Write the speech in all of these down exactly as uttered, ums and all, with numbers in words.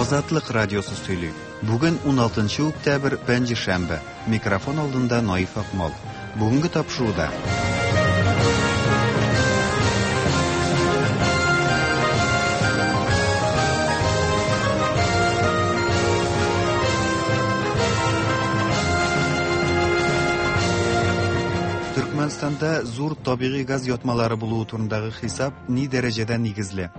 Азатлык радиосы сөйли. Бүген уналтынчы октябрь, пәнҗешәмбе. Микрофон алдында Наиф Акмал. Бүгенге тапшыруда. Төркмәнстанда зур табигый газ ятмалары булуы турындагы хисап ни дәрәҗәдә нигезле?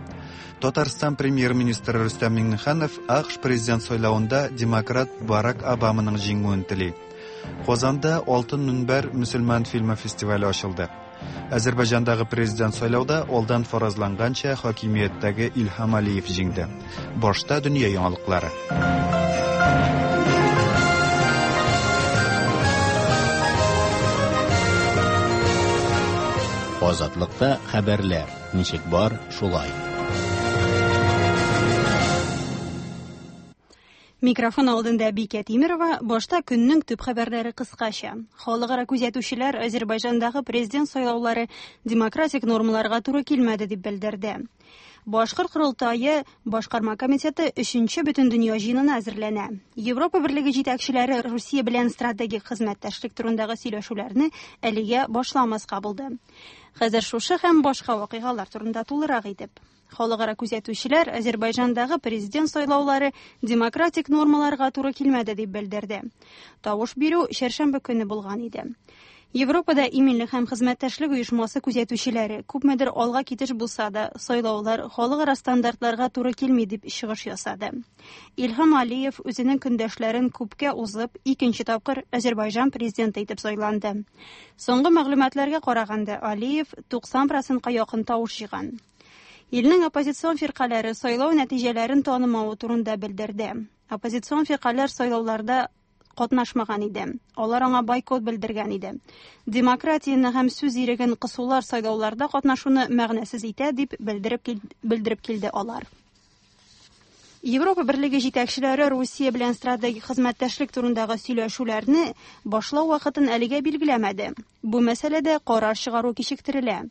Татарстан премьер-министры Рөстәм Миңнеханов А К Ш президент сайлавында демократ Барак Обаманың җиңүен тели. Казанда Алтын Мөнбәр мөселман фильмы фестивале ачылды. Азербайҗандагы президент сайлауда алдан фаразланганча хакимияттәге Илһам Алиев җиңде. Башта дөнья яңалыклары. Азатлыкта хәбәрләр ничек бар, шулай. Микрофон алдында Бикә Тимирова, башта көннең төп хәбәрләре кыскача. Халыкара күзәтүчеләр Азербайҗандагы президент сайлаулары демократик нормаларга туры килмәде дип белдерде. Башкорт корылтае башкарма комитеты өченче бөтендөнья җыенына әзерләнә. Европа берлеге җитәкчеләре Русия белән стратегик хезмәттәшлек турындагы сөйләшүләрне әлегә башламаска булды. Хәзер шушы һәм башка вакыйгалар турында тулырак итеп. Халыкара күзәтүчеләр Азербайҗандагы президент сайлаулары демократик нормаларга туры килмәде дип белдерде. Тавыш бирү чәршәмбе көне булган иде. Европада иминлек һәм хезмәттәшлек оешмасы күзәтүчеләре күпмедер алга китеш булса да, сайлаулар халыкара стандартларга туры килми дип чыгыш ясады. Илһам Алиев үзенең көндәшләрен күпкә узып, икенче тапкыр Азербайҗан президенты итеп сайланды. Соңгы мәгълүматларга караганда, Алиев туксан процентка якын тавыш җыйган. Илнең оппозицион фиркаләре сайлау нәтиҗәләрен танымавы турында белдерде. Оппозицион фиркаләр сайлауларда катнашмаган иде. Алар аңа бойкот белдергән иде. Демократияне һәм сүз иреген кысулар сайлауларда катнашуны мәгънәсез итә дип белдереп кил-, белдереп килде алар. Европа берлеге җитәкчеләре Русия белән стратегик хезмәттәшлек турындагы сөйләшүләрне башлау вакытын әлегә билгеләмәде. Бу мәсьәләдә карар чыгару кичектерелә.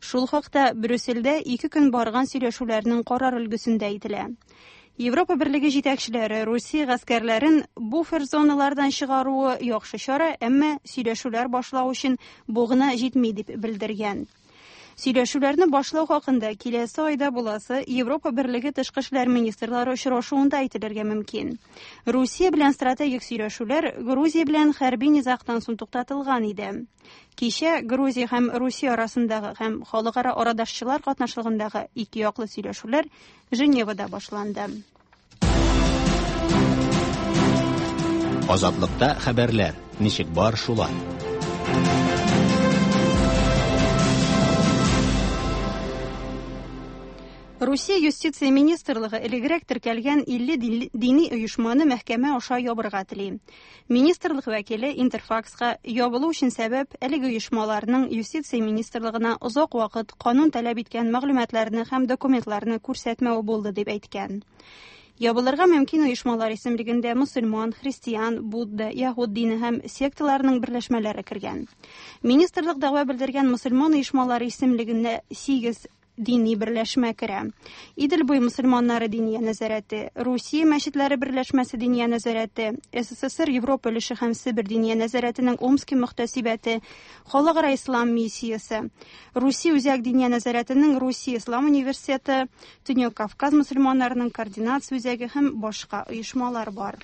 Шул хакта Брюссельдә ике көн барган сөйләшүләрнең карар өлгесендә әйтелә. Европа берлеге җитәкчеләре Русия гаскәрләрен буфер зоналардан чыгаруы яхшы чара, әмма сөйләшүләр башлау өчен бу гына җитми дип белдергән. Сөйләшүләрне башлау хакында киләсе айда буласы Европа берлеге тышкы эшләр министрлары очрашуында әйтелергә мөмкин. Русия белән стратегик сөйләшүләр Грузия белән хәрби низагтан соң туктатылган иде. Кичә Грузия һәм Русия арасындагы һәм халыкара арадашчылар катнашлыгындагы ике яклы сөйләшүләр Женевада башланды. Азатлыкта хәбәрләр ничек бар, шулай. Русия юстиция министрлыгы элегрәк теркәлгән илле дини оешманы мәхкәмә аша ябырга тели. Министрлык вәкиле Интерфакска ябылу өчен сәбәп әлеге оешмаларның юстиция министрлыгына озак вакыт канун таләп иткән мәгълүматларны һәм документларны күрсәтмәү булды дип әйткән. Ябылырга мөмкин оешмалар исемлегендә мөселман, христиан, будда, яһүд дине һәм секталарының берләшмәләре кергән. Министрлык дәгъва белдергән мөселман оешмалары исемлегендә сигез дини берләшмә керә. Идел буе мөселманнары диния нәзарәте, Русия мәчетләре берләшмәсе диния нәзарәте, С С С Р Европа өлеше һәм Себер диния нәзарәтенең Омски мөхтәсибәте, Халыкара ислам миссиясе, Русия үзәк диния нәзарәтенең Русия ислам университеты, Төньяк Кавказ мөселманнарының координация үзәге һәм башка оешмалар бар.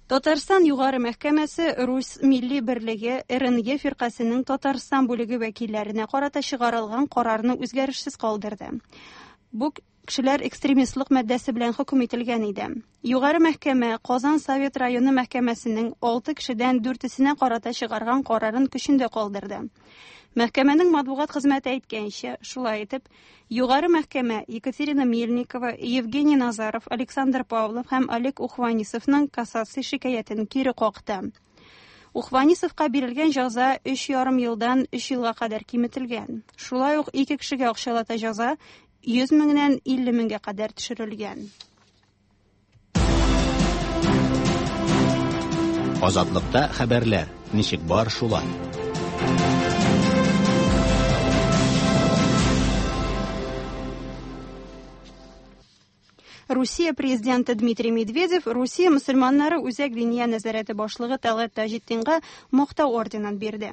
Татарстан Югары мәхкәмәсе Рус милли берлеге Р Н Е фиркасының Татарстан бүлеге вәкилләренә карата чыгарылган карарны үзгәрешсез калдырды. Бу кешеләр экстремистлык маддәсе белән хөкем ителгән иде. Югары мәхкәмә Казан Совет районы мәхкәмәсенең алты кешедән дүртесенә карата чыгарган карарын көчендә калдырды. Мәхкәмәнең матбугат хезмәте әйткәнчә, шулай итеп, Югары мәхкәмә Екатерина Мельникова, Евгений Назаров, Александр Павлов һәм Олег Ухванисовның кассация шикаятен кире какты. Ухванисовка бирелгән җәза өч ярым елдан өч елга кадәр киметелгән. Шулай ук ике кешегә акчалата җәза йөз меңнән илле меңгә кадәр төшерелгән. Азатлыкта хәбәрләр ничек бар, шулай. Русия президенты Дмитрий Медведев Русия мөселманнары Үзәк диния нәзарәте башлыгы Тәлгать Таҗетдинга Мактау орденын бирде.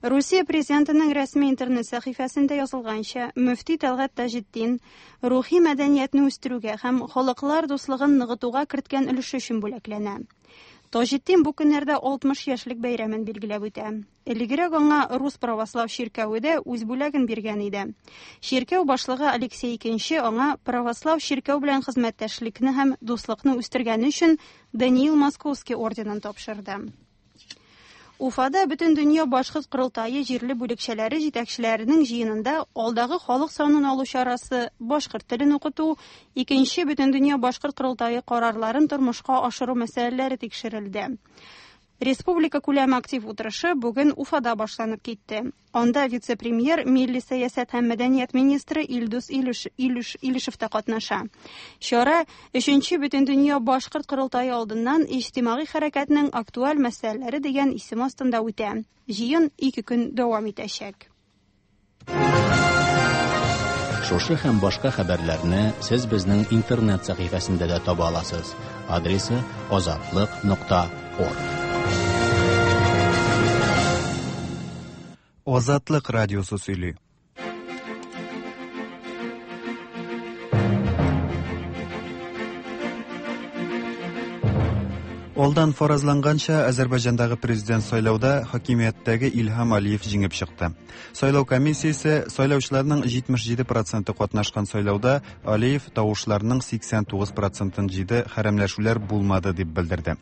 Русия президентының рәсми интернет сәхифәсендә язылганча, мөфти Тәлгать Таҗетдин рухи мәдәниятне үстерүгә һәм халыклар дуслыгын ныгытуга керткән өлеше өчен бүләкләнә. Таҗетдин бу көннәрдә алтмыш яшьлек бәйрәмен билгеләп үтә. Элегрәк аңа Рус православ чиркәве дә үз бүләген биргән иде. Чиркәү башлыгы Алексей Икенче аңа православ чиркәү белән хезмәттәшлекне һәм дуслыкны үстергәне өчен Даниил Московский орденын тапшырды. Уфада Бөтендөнья башкорт корылтае җирле бүлекчәләре җитәкчеләренең җыенында алдагы халык санын алу чарасы, башкорт телен укыту, икенче Бөтендөнья башкорт корылтае карарларын тормышка ашыру мәсьәләләре тикшерелде. Республика күләме актив утырышы бүген Уфада башланып китте. Анда вице-премьер, милли сәясәт һәм мәдәният министры Илдус Илеш, Илеш, Илешев та катнаша. Чара өченче Бөтендөнья башкорт корылтае алдыннан иҗтимагый хәрәкәтнең актуаль мәсьәләләре дигән исем астында үтә. Җыен ике көн дәвам итәчәк. Шушы һәм башка хәбәрләрне сез безнең интернет сәхифәсендә дә таба аласыз. Адресы азатлык нокта орг. Азатлык радиосы сөйли. Алдан фаразланганча, Азербайҗандагы президент сайлауда хакимияттәге Илһам Алиев җиңеп чыкты. Сайлау комиссиясе сайлаучыларның җитмеш җиде проценты катнашкан сайлауда Алиев тавышларның сиксән тугыз процентын җыйды, хәрәмләшүләр булмады дип белдерде.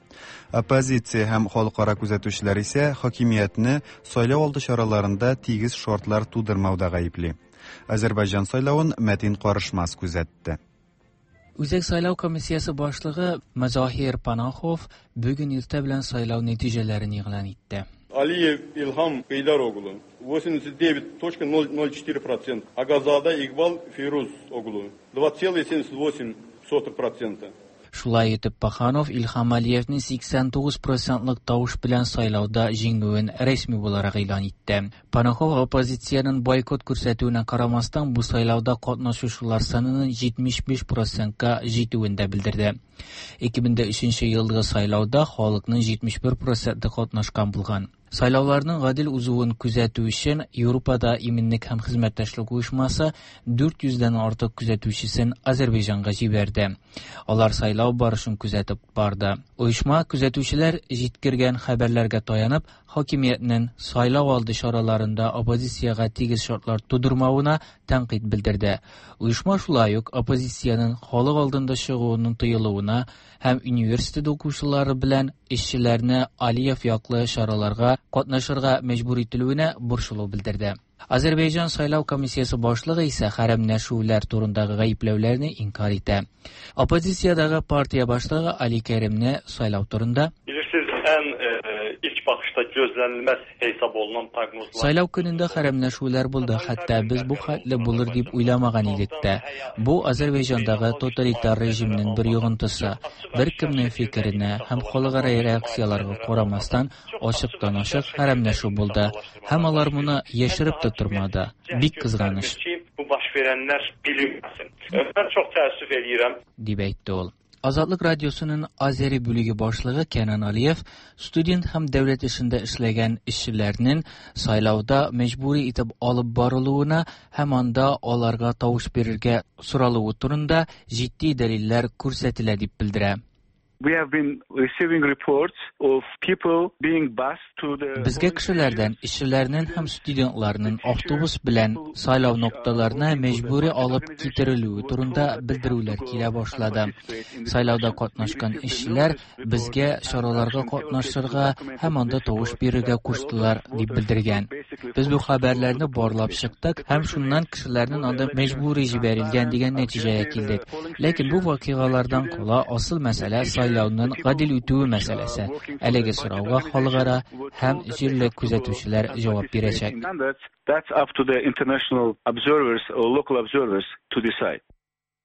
Оппозиция һәм халыкара күзәтүчеләр исә хакимиятне сайлау алды чараларында тигез шартлар тудырмауда гаепли. Азербайҗан сайлавын Мәтин Карышмас күзәтте. Үзәк сайлау комиссиясе башлыгы Мазахир Панахов бүген иртә белән сайлау нәтиҗәләрен игълан итте. Алиев Илһам Гейдар оглу восемьдесят девять точка ноль ноль четыре процента, Агазада Игбал Фирuz оглу два целых семьдесят восемь сотых процента. Шулай итеп, Паханов Илһам Алиевның сиксән тугыз процентлык тавыш белән сайлауда җиңүен рәсми буларак игълан итте. Панахов оппозициянең бойкот күрсәтүенә карамастан бу сайлауда катнашучылар санының җитмеш биш процентка җитүен дә белдерде. ике мең өченче елгы сайлауда халыкның җитмеш бер проценты катнашкан булган. Сайлауларның гадел узуын күзәтү өчен Европада иминлек һәм хезмәттәшлек оешмасы дүрт йөздән артык күзәтүчесен Азербайҗанга җибәрде. Алар сайлау барышын күзәтеп барды. Оешма күзәтүчеләр җиткергән хәбәрләргә таянып, хакимиятнең сайлау алды чараларында оппозициягә тигез шартлар тудырмавына тәнкыйть белдерде. Оешма шулай ук оппозициянең халык алдында чыгуының тыелуына һәм университет укучылары белән эшчеләрне Алиев яклы чараларга катнашырга мәҗбүр ителүенә борчылу белдерде. Азербайҗан сайлау комиссиясе башлыгы исә хәрәмләшүләр турындагы гаепләүләрне инкар итә. Оппозициядәге партия башлыгы Али Кәримне сайлау турында: Bilirsiniz, ən ilk baxışda gözlənilməz hesab olunan proqnozlar. Сайлау көнендә хәрәмләшүләр булды, хәтта без бу хәтле булыр дип уйламаган идек тә. Бу Азербайҗандагы тоталитар режимның бер йогынтысы. Бер кемнең фикеренә һәм халыкара реакцияләргә карамастан ачыктан-ачык хәрәмләшү булды. Һәм алар моны яшереп тә тормады. Бик кызганыч. Bu baş verənlər bilinməsin. Mən çox təəssüf eləyirəm, дип әйтте ул. Азатлык радиосының Азери бүлеге башлыгы Кенан Алиев студент һәм дәүләт эшендә эшләгән эшчеләрнең сайлауда мәҗбүри итеп алып барылуына һәм анда аларга тавыш бирергә соралуы турында җитди дәлилләр күрсәтелә дип белдерә. We have been receiving reports of people being bused to the Безгә кешеләрдән, эшчеләрнең һәм студентларның автобус белән сайлау нокталарына мәҗбүри алып китерелүе турында белдерүләр килә башлады. Сайлауда катнашкан эшчеләр безгә чараларга катнашырга һәм анда тавыш бирергә куштылар дип белдергән. Без бу хәбәрләрне барлап чыктык һәм шуннан кешеләрнең анда мәҗбүри җибәрелгән дигән нәтиҗәгә килдек. Ләкин бу вакыйгалардан кала асыл мәсьәлә сайлауның гадел үтүе мәсьәләсе. Әлеге сорауга халыкара һәм җирле күзәтүчеләр җавап бирәчәк. That's up to the international observers or local observers to decide.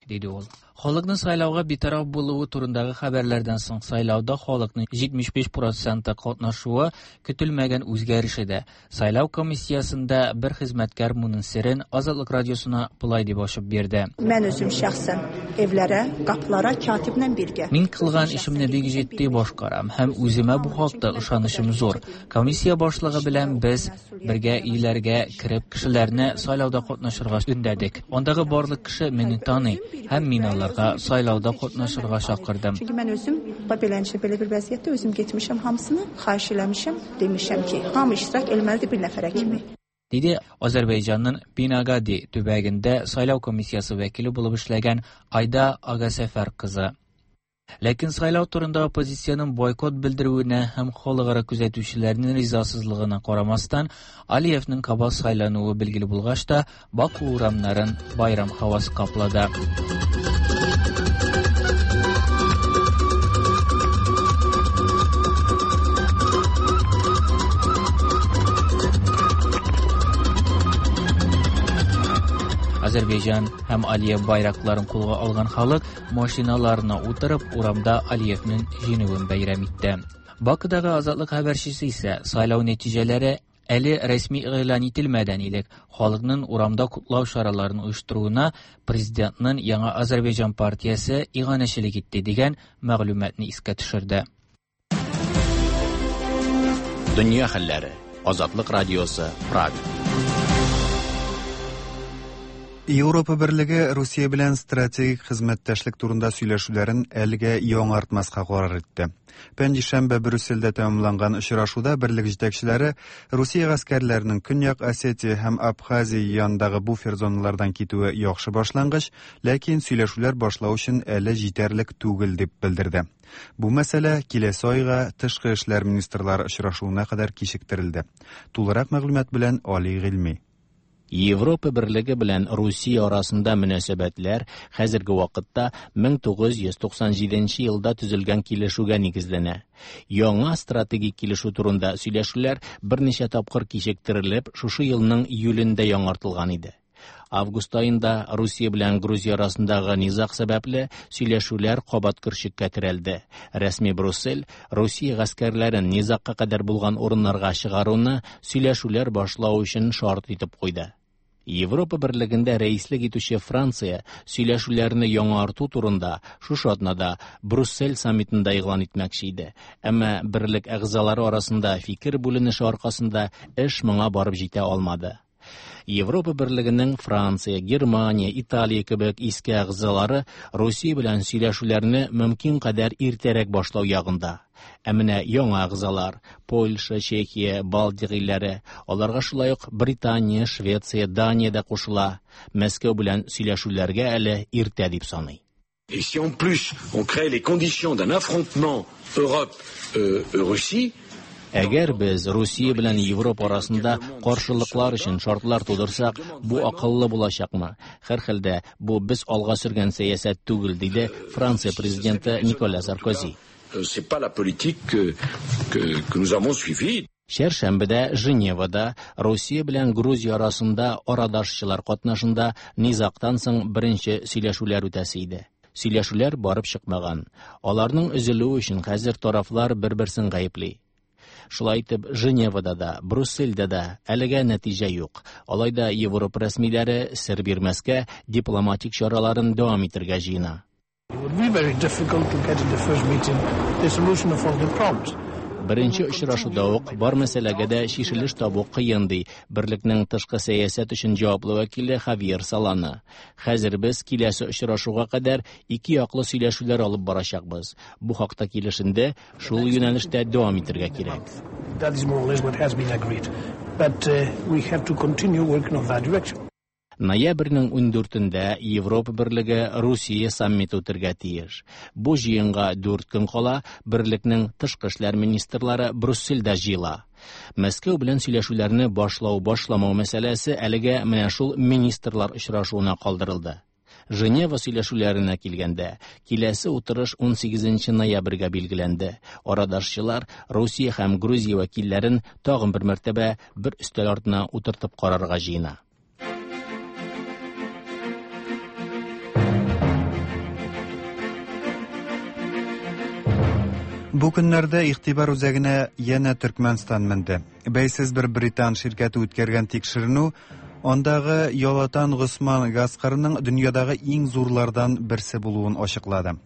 Диде ул. Халыкның сайлауга битараф булуы турындагы хәбәрләрдән соң сайлауда халыкның җитмеш биш проценты катнашуы көтелмәгән үзгәреш иде. Сайлау комиссиясендә бер хезмәткәр моның серен Азатлык радиосына болай дип ачып бирде. Мин үзем шәхсән evlərə, qapılara katiblə birgə. Мин кылган эшемне бик җитди башкарам һәм үземә бу хакта ышанычым зур. Комиссия башлыгы белән без бергә өйләргә кереп кешеләрне сайлауда катнашырга өндәдек. Андагы барлык кеше мине таный һәм мин аларга сайлауда катнашырга чакырдым. Çünki mən özüm beləncə belə bir vəziyyətdə özüm getmişəm hamısını, xahiş eləmişəm, demişəm ki, hamı iştirak eləməlidir bir nəfərə kimi. Диде Азәрбайҗанның Бинагadi төбәгендә сайлау комиссиясе вәкиле булып эшләгән Айда Агасәфәр кызы. Ләкин сайлау турында оппозициянең бойкот белдерүенә һәм халыкара күзәтүчеләрнең ризасызлыгына карамастан, Алиевның кабат сайлануы билгеле булгач та, Баку урамнарын байрам һавасы каплады. Азәрбайҗан һәм Алиев байракларын кулга алган халык машиналарына утырып урамда Алиевның җиңүен бәйрәм итте. Бакыдагы Азатлык хәбәрчесе исә сайлау нәтиҗәләре әле рәсми игълан ителмәдән элек халыкның урамда котлау чараларын оештыруына президентның Яңа Азәрбайҗан партиясе иганәчелек итте дигән мәгълүматны искә төшерде. Дөнья хәлләре. Азатлык радиосы, Прага. Европа Берлеге Русия белән стратегик хезмәттәшлек турында сөйләшүләрен әлегә яңартмаска карар итте. Пәнҗешәмбе Брюссельдә тәмамланган очрашуда берлек җитәкчеләре Русия гаскәрләренең Көньяк Осетия һәм Абхазия янындагы буфер зоналардан китүе яхшы башлангыч, ләкин сөйләшүләр башлау өчен әле җитәрлек түгел дип белдерде. Бу мәсьәлә киләсе айга тышкы эшләр министрлары очрашуына кадәр кичектерелде. Тулырак мәгълүмат белән Али Гыйльми. Европа Берлеге белән Русия арасында мөнәсәбәтләр хәзерге вакытта мең тугыз йөз туксан җиденче елда төзелгән килешүгә нигезләнә. Яңа стратегик килешү турында сөйләшүләр берничә тапкыр кичектерелеп, шушы елның июлендә яңартылган иде. Август аенда Русия белән Грузия арасындагы низаг сәбәпле сөйләшүләр кабат көршеккә терәлде. Рәсми Брюссель Русия гаскәрләрен низагка кадәр булган урыннарга чыгаруны сөйләшүләр башлау өчен шарт итеп куйды. Европа Берлегендә рәислек итүче Франция сөйләшүләрне яңарту турында шушы атнада Брюссель саммитында игълан итмәкче иде. Әмма берлек әгъзалары арасында фикер бүленеше аркасында эш моңа барып җитә алмады. Европа Берлегенең Франция, Германия, Италия кебек иске әгъзалары Русия белән сөйләшүләрне мөмкин кадәр иртәрәк башлау ягында. Ә менә яңа әгъзалар Польша, Чехия, Балтик илләре, аларга шулай ук Британия, Швеция, Дания дә кушыла. Мәскәү белән сөйләшүләргә әле иртә дип саный. Et si en plus on crée les conditions d'un affrontement Europe-Russie, Әгәр без Русия белән Европа арасында каршылыклар өчен шартлар тудырсак, бу акыллы булачакмы? Һәр хәлдә бу без алга сөргән сәясәт түгел, диде Франция президенты Николя Саркози. C'est pas la politique que, que, que nous avons suivie. Чәршәмбедә Женевада Русия белән Грузия арасында арадашчылар катнашында низагтан соң беренче сөйләшүләр үтәсе иде. Сөйләшүләр барып чыкмаган. Аларның өзелүе өчен хәзер тарафлар бер-берсен гаепли. Шулай итеп, Женевада да, Брюссельдә дә әлегә нәтиҗә юк. Алай да Европа рәсмиләре сер бирмәскә дипломатик чараларын дәвам итәргә җыена. It would be very difficult to get in the first meeting the solution of all the problems. Беренче очрашуда ук бар мәсьәләгә дә чишелеш табу кыен, ди Берлекнең тышкы сәясәт өчен җаваплы вәкиле Хавьер Солана. Хәзер без киләсе очрашуга кадәр ике яклы сөйләшүләр алып барачакбыз. Бу хакта килешенде шул юнәлештә дәвам итәргә кирәк. That is more or less what has been agreed. But, uh, we have to continue working on that direction. Ноябрьнең ундүртендә Европа Берлеге Русия саммиты үтергә тиеш. Бу җыенга дүрт көн кала Берлекнең тышкы эшләр министрлары Брюссельдә җыела. Мәскәү белән сөйләшүләрне башлау-башламау мәсьәләсе әлегә менә шул министрлар очрашуына калдырылды. Женева сөйләшүләренә килгәндә, киләсе утырыш унсигезенче ноябрьгә билгеләнде. Арадашчылар Русия һәм Грузия вәкилләрен тагын бер мәртәбә бер өстәл артына утыртып карарга җыена. Бу көннәрдә игътибар үзәгенә янә Төркмәнстан менде. Бәйсез бер британ ширкәте үткәргән тикшеренү андагы Ялатан Госман газ кырының дөньядагы иң зурлардан берсе булуын ачыклады.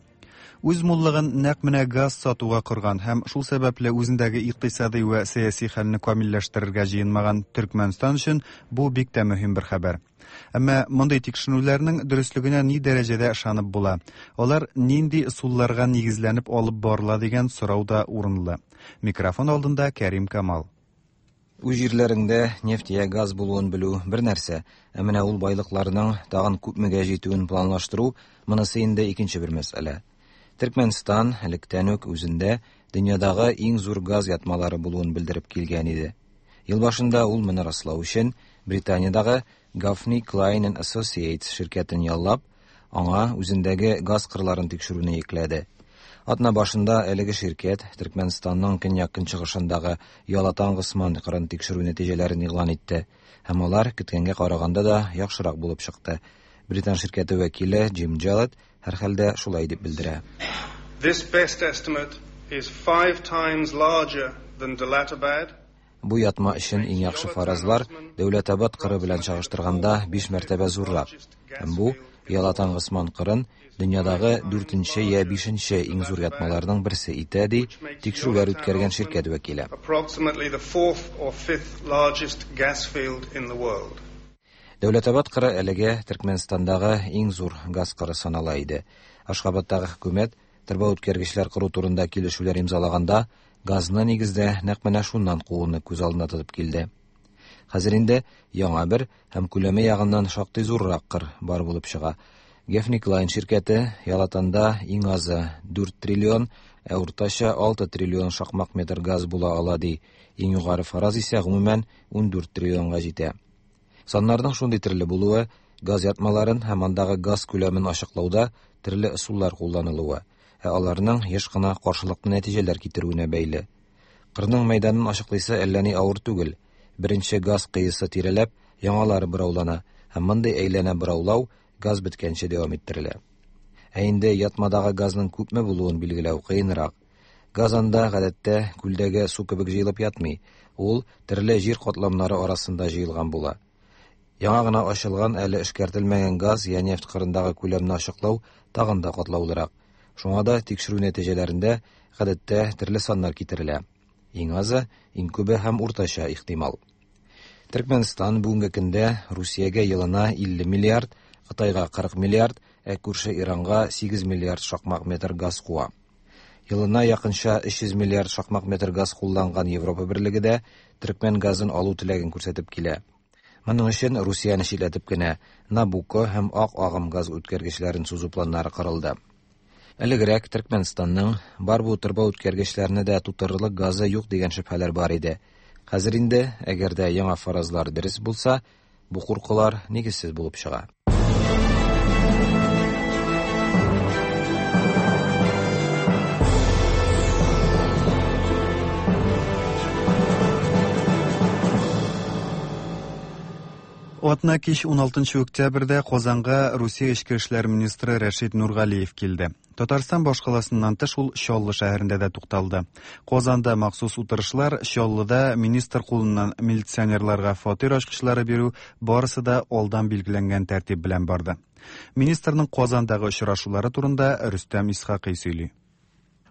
Үз муллыгын нәкъ менә газ сатуга корган һәм шул сәбәпле үзендәге икътисади вә сәяси хәлне камилләштерергә җыенмаган Төркмәнстан өчен бу бик тә мөһим бер хәбәр. Әмма мондый тикшеренүләрнең дөреслегенә ни дәрәҗәдә ышанып була? Алар нинди ысулларга нигезләнеп алып барыла дигән сорау да урынлы. Микрофон алдында Кәрим Камал. Үз җирләреңдә нефть я газ булуын белү бер нәрсә, ә менә ул байлыкларның тагын күпмегә җитүен планлаштыру монысы инде икенче бер мәсьәлә. Төркмәнстан электән үк үзендә дөньядагы иң зур газ ятмалары булуын белдереп килгән иде. Ел башында ул моны раслау өчен Британиядагы Gaffney Cline and Associates ширкәтен яллап, аңа үзендәге газ кырларын тикшерүне йөкләде. Атна башында әлеге ширкәт Төркмәнстанның көньяк-көнчыгышындагы Ялатан Госман кырын тикшерү нәтиҗәләрен игълан итте, һәм алар көткәнгә караганда да яхшырак булып чыкты. Британ ширкәте вәкиле Джим Джалет һәрхәлдә шулай дип белдерә. This best estimate is five times larger than Delatabad. Бу ятма өчен иң яхшы фаразлар Дәүләтабад кыры белән чагыштырганда биш мәртәбә зуррак. Һәм бу Ялатан Госман кырын дөньядагы дүртенче я бишенче иң зур ятмаларның берсе итә, ди тикшерүләр үткәргән ширкәт вәкиле. Approximately the fourth or fifth largest gas field in the world. Дәүләтабад кыры әлегә Төркмәнстандагы иң зур газ кыры санала иде. Ашхабадтагы хөкүмәт торба үткәргечләр кору турында килешүләр имзалаганда газны нигездә нәкъ менә шуннан кууны күз алдына тотып килде. Хәзер инде яңа бер һәм күләме ягыннан шактый зуррак кыр бар булып чыга. Gaffney Cline ширкәте Ялатанда иң азы дүрт триллион, ә уртача алты триллион шакмак метр газ була ала, ди. Иң югары фараз исә гомумән ундүрт триллионга җитә. Саннарның шундый төрле булуы, газ ятмаларын һәм андагы газ күләмен ачыклауда төрле ысуллар кулланылуы, ә аларның еш кына каршылыклы нәтиҗәләр китерүенә бәйле. Кырның мәйданын ачыклыйсы әллә ни авыр түгел. Беренче газ кыйысы тирәләп, яңалары бораулана, һәм мондый әйләнә бораулау газ беткәнче дәвам иттерелә. Ә инде ятмадагы газның күпме булуын билгеләү кыенрак. Газ анда гадәттә күлдәге су кебек җыелып ятмый, ул төрле җир катламнары арасында җыелган була. Яңа гына ачылган әле эшкәртелмәгән газ я нефть кырындагы күләмне ачыклау тагын да катлаулырак. Шуңа да тикшерү нәтиҗәләрендә гадәттә төрле саннар китерелә. Иң азы, иң күбе һәм уртача ихтимал. Төркмәнстан бүгенге көндә Русиягә елына илле миллиард, Кытайга кырык миллиард, ә күрше Иранга сигез миллиард шакмак метр газ куа. Елына якынча өч йөз миллиард шакмак метр газ кулланган Европа Берлеге дә төркмән газын алу теләген күрсәтеп килә. Моның өчен Русияне читләтеп кенә Набуко һәм Ак агым газ үткәргечләрен сузу планнары корылды. Элегрәк Төркмәнстанның бар бу торба үткәргечләрне дә тутырырлык газы юк дигән шөбһәләр бар иде. Хәзер инде, әгәр дә яңа фаразлар дөрес булса, бу куркулар нигезсез булып чыга. Атна кич уналтынчы октябрьдә Казанга Русия эчке эшләр министры Рәшит Нургалиев килде. Татарстан башкаласыннан тыш ул Чаллы шәһәрендә дә тукталды. Казанда махсус утырышлар, Чаллыда министр кулыннан милиционерларга фатир ачкычлары бирү барысы да алдан билгеләнгән тәртип белән барды. Министрның Казандагы очрашулары турында Рөстәм Исхакый сөйли.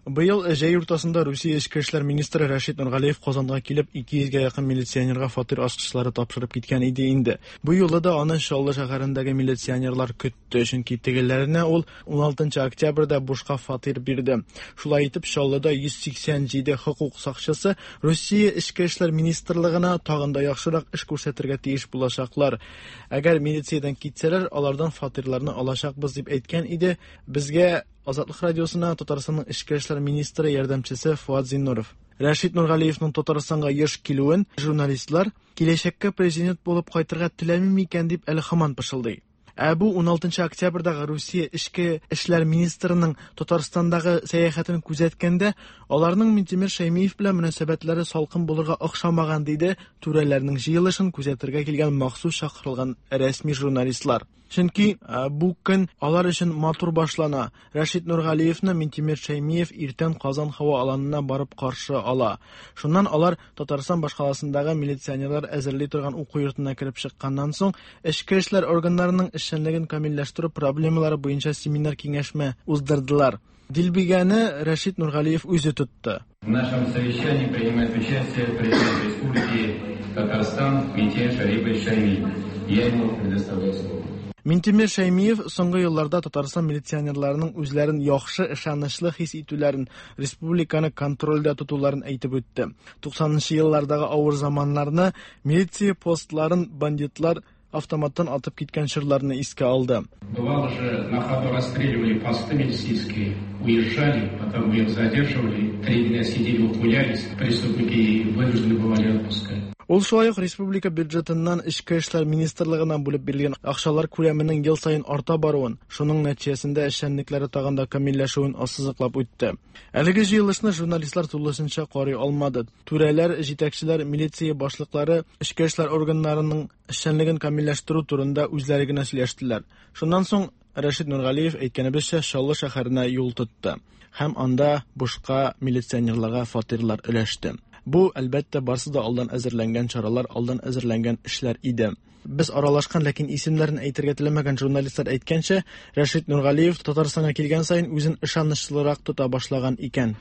Быел җәй уртасында Русия эчке эшләр министры Рәшит Нургалиев Казанга килеп ике йөзгә якын милиционерга фатир ачкычлары тапшырып киткән иде инде. Бу юлы да аны Чаллы шәһәрендәге милиционерлар көтте, чөнки тегеләренә ул уналтынчы октябрьдә бушка фатир бирде. Шулай итеп Чаллыда йөз сиксән җиде хокук сакчысы Русия эчке эшләр министрлыгына тагын да яхшырак эш күрсәтергә тиеш булачаклар. Әгәр милициядән китсәләр, алардан фатирларны алачакбыз дип әйткән иде. Безгә Азатлык радиосына Татарстанның эчке эшләр министры ярдәмчесе Фуат Зиннуров. Рәшит Нургалиевның Татарстанга еш килүен журналистлар киләчәккә президент булып кайтырга теләми микән дип әле һаман пышылдый. Ә бу уналтынчы октябрьдәге Русия эчке эшләр министрының Татарстандагы сәяхәтен күзәткәндә, аларның Минтимер Шәймиев белән мөнәсәбәтләре салкын булырга охшамаган, диде түрәләрнең җыелышын күзәтергә килгән махсус чакырылган рәсми журналистлар. Чөнки бу көн алар өчен матур башлана. Рәшит Нургалиевны Минтимер Шәймиев иртән Казан һава аланына барып каршы ала. Шуннан алар Татарстан башкаласындагы милиционерлар әзерли торган уку йортына кереп чыкканнан соң, эчке эшләр органнарының эшчәнлеген камилләштерү проблемалары буенча семинар киңәшмә уздырдылар. Дилбегәне Рәшит Нургалиев үзе тотты. В нашем совещании принимает участие президент Республики Татарстан Минтимер Шарипович Шаймиев. Я ему предоставляю слово. Минтимер Шәймиев соңгы елларда Татарстан милиционерларының үзләрен яхшы, ышанычлы хис итүләрен, республиканы контрольдә тотуларын әйтеп үтте. туксанынчы еллардагы авыр заманнарны, милиция постларын бандитлар автоматтан атып киткән чорларны искә алды. Бывало же, на ходу расстреливали посты милицейские, уезжали, потом их задерживали, три дня сидели, ухмылялись, преступники вынуждены бывали отпускать. Ул шулай ук республика бюджетыннан Эчке эшләр министрлыгына бүлеп бирелгән акчалар күләменең ел саен арта баруын, шуның нәтиҗәсендә эшчәнлекләре тагын да камилләшүен ассызыклап үтте. Әлеге җыелышны журналистлар тулысынча карый алмады. Түрәләр, җитәкчеләр, милиция башлыклары эчке эшләр органнарының эшчәнлеген камилләштерү турында үзләре генә сөйләштеләр. Шуннан соң Рәшит Нургалиев әйткәнебезчә Чаллы шәһәренә юл тотты һәм анда бушка милиционерларга фатирлар өләште. Бу, әлбәттә, барсы да алдан әзерләнгән чаралар, алдан әзерләнгән эшләр иде. Без аралашкан, ләкин исемнәрен әйтергә теләмәгән журналистлар әйткәнчә, Рәшит Нургалиев Татарстанга килгән саен үзен ышанычлырак тота башлаган икән.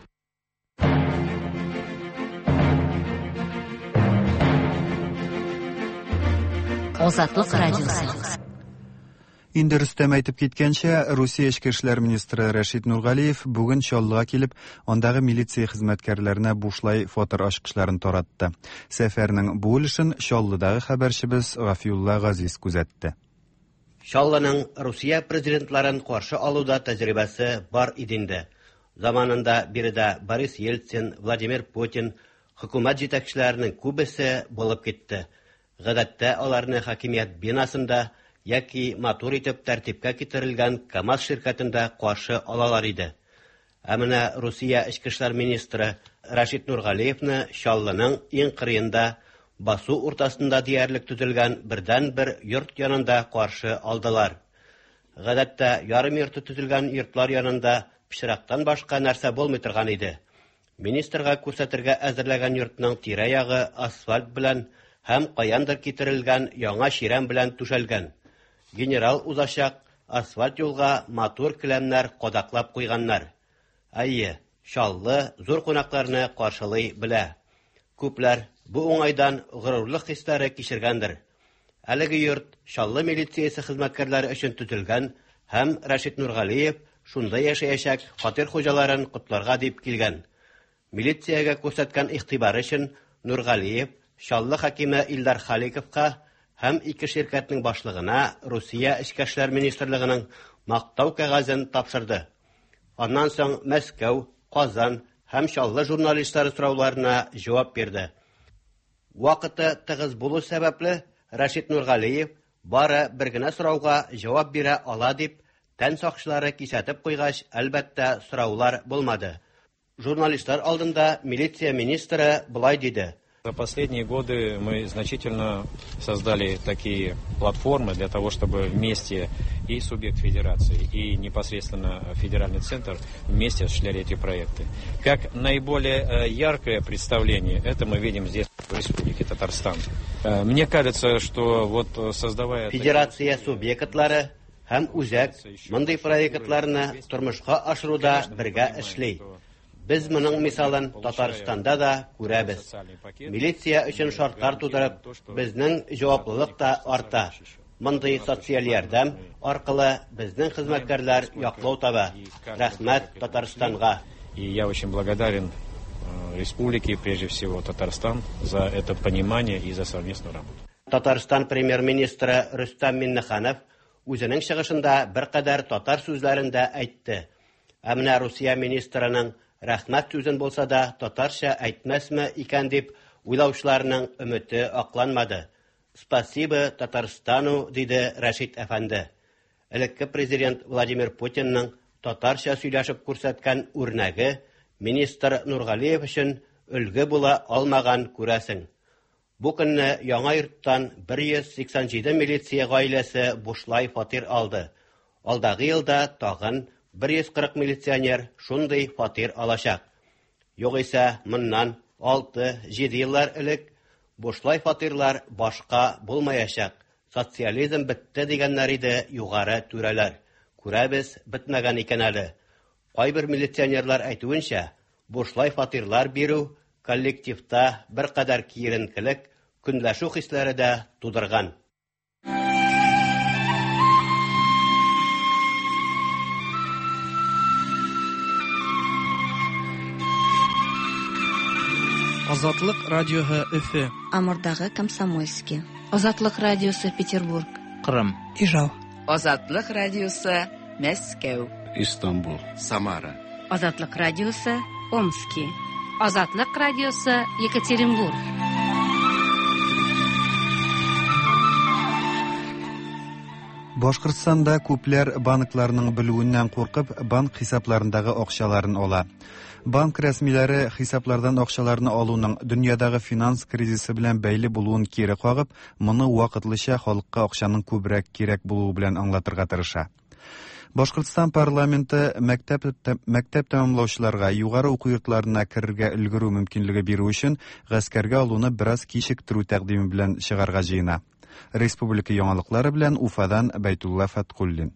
Азатлык радиосы. Инде Рөстәм әйтеп киткәнчә, Русия эчке эшләр министры Рәшит Нургалиев бүген Чаллыга килеп, андагы милиция хезмәткәрләренә бушлай фатир ачкычларын таратты. Сәфәрнең бу өлешен Чаллыдагы хәбәрчебез Гафиулла Газиз күзәтте. Чаллының Русия президентларын каршы алуда тәҗрибәсе бар иде инде. Заманында биредә Борис Ельцин, Владимир Путин, хөкүмәт җитәкчеләренең күбесе булып китте. Гадәттә аларны хакимият бинасында яки матур итеп тәртипкә китерелгән КАМАЗ ширкәтендә каршы алалар иде. Ә менә Русия эчке эшләр министры Рәшит Нургалиевны Чаллының иң кырыенда, басу уртасында диярлек төзелгән бердән-бер йорт янында каршы алдылар. Гадәттә ярым йорты төзелгән йортлар янында пычрактан башка нәрсә булмый торган иде. Министрга күрсәтергә әзерләгән йортның тирә-ягы асфальт белән һәм каяндыр китерелгән яңа чирәм белән түшәлгән. Генерал узачак асфальт юлга матур келәмнәр кадаклап куйганнар. Әйе, Чаллы зур кунакларны каршылый белә. Күпләр бу уңайдан горурлык хисләре кичергәндер. Әлеге йорт Чаллы милициясе хезмәткәрләре өчен төзелгән һәм Рәшит Нургалиев шунда яшәячәк фатир хуҗаларын котларга дип килгән. Милициягә күрсәткән игътибары өчен Нургалиев Чаллы хакиме Илдар Халиковка һәм ике ширкәтнең башлыгына Русия Эчке эшләр министрлыгының мактау кәгазен тапшырды. Аннан соң Мәскәү, Казан һәм Чаллы журналистлары сорауларына җавап бирде. Вакыты тыгыз булу сәбәпле Рәшит Нургалиев бары бер генә сорауга җавап бирә ала дип тән сакчылары кисәтеп куйгач, әлбәттә, сораулар булмады. Журналистлар алдында милиция министры болай диде: За последние годы мы значительно создали такие платформы для того, чтобы вместе и субъект федерации, и непосредственно федеральный центр вместе осуществляли эти проекты. Как наиболее яркое представление, это мы видим здесь, в Республике Татарстан. Мне кажется, что вот создавая... Федерация субъектлары һәм үзәк мондый проектларны тормышка ашыруда бергә эшли. Без моның мисалын Татарстанда да күрәбез. Милиция өчен шартлар тудырып, безнең җаваплылык та арта. Мондый социаль ярдәм аркылы безнең хезмәткәрләр яклау таба. Рәхмәт Татарстанга. И я очень благодарен республике, прежде всего Татарстан, за это понимание и за совместную работу. Татарстан премьер-министры Рөстәм Миңнеханов үзенең чыгышында беркадәр татар сүзләрен дә әйтте. Ә менә Русия министрының рәхмәт сүзен булса да татарча әйтмәсме икән дип уйлаучыларның өмете акланмады. Спасибо Татарстану, диде Рәшит әфәнде. Элекке президент Владимир Путинның татарча сөйләшеп күрсәткән үрнәге министр Нургалиев өчен өлге була алмаган, күрәсең. Бу көнне Яңа Йорттан бер йөз сиксән җиде милиция гаиләсе бушлай фатир алды. Алдагы елда тагын бер йөз кырык милиционер шундый фатир алачак. Югыйсә моннан алты-җиде еллар элек бушлай фатирлар башка булмаячак. Социализм бетте дигәннәр иде югары түрәләр. Күрәбез, бетмәгән икән әле. Кайбер милиционерлар әйтүенчә, бушлай фатирлар бирү коллективта беркадәр киеренкелек, көнләшү хисләре дә тудырган. Азатлык радиоһы Өфе. Амурдагы Комсомольский. Азатлык радиосы Петербург. Кырым. Ижау. Азатлык радиосы Мәскәү. Истанбул. Самара. Азатлык радиосы Омски. Азатлык радиосы Екатеринбург. Башкортстанда күпләр банкларның белүеннән куркып, банк хисапларындагы акчаларын ала. Банк рәсмиләре хисаплардан акчаларны алуның дөньядагы финанс кризисы белән бәйле булуын кире кагып, моны вакытлыча халыкка акчаның күбрәк кирәк булуы белән аңлатырга тырыша. Башкортстан парламенты мәктәп мәктәп тәмамлаучыларга югары уку йортларына керергә өлгерү мөмкинлеге бирү өчен гаскәргә алуны бераз кичектерү тәкъдиме белән чыгарга җыена. Республика яңалыклары белән Уфадан Бәйтулла Фәткуллин.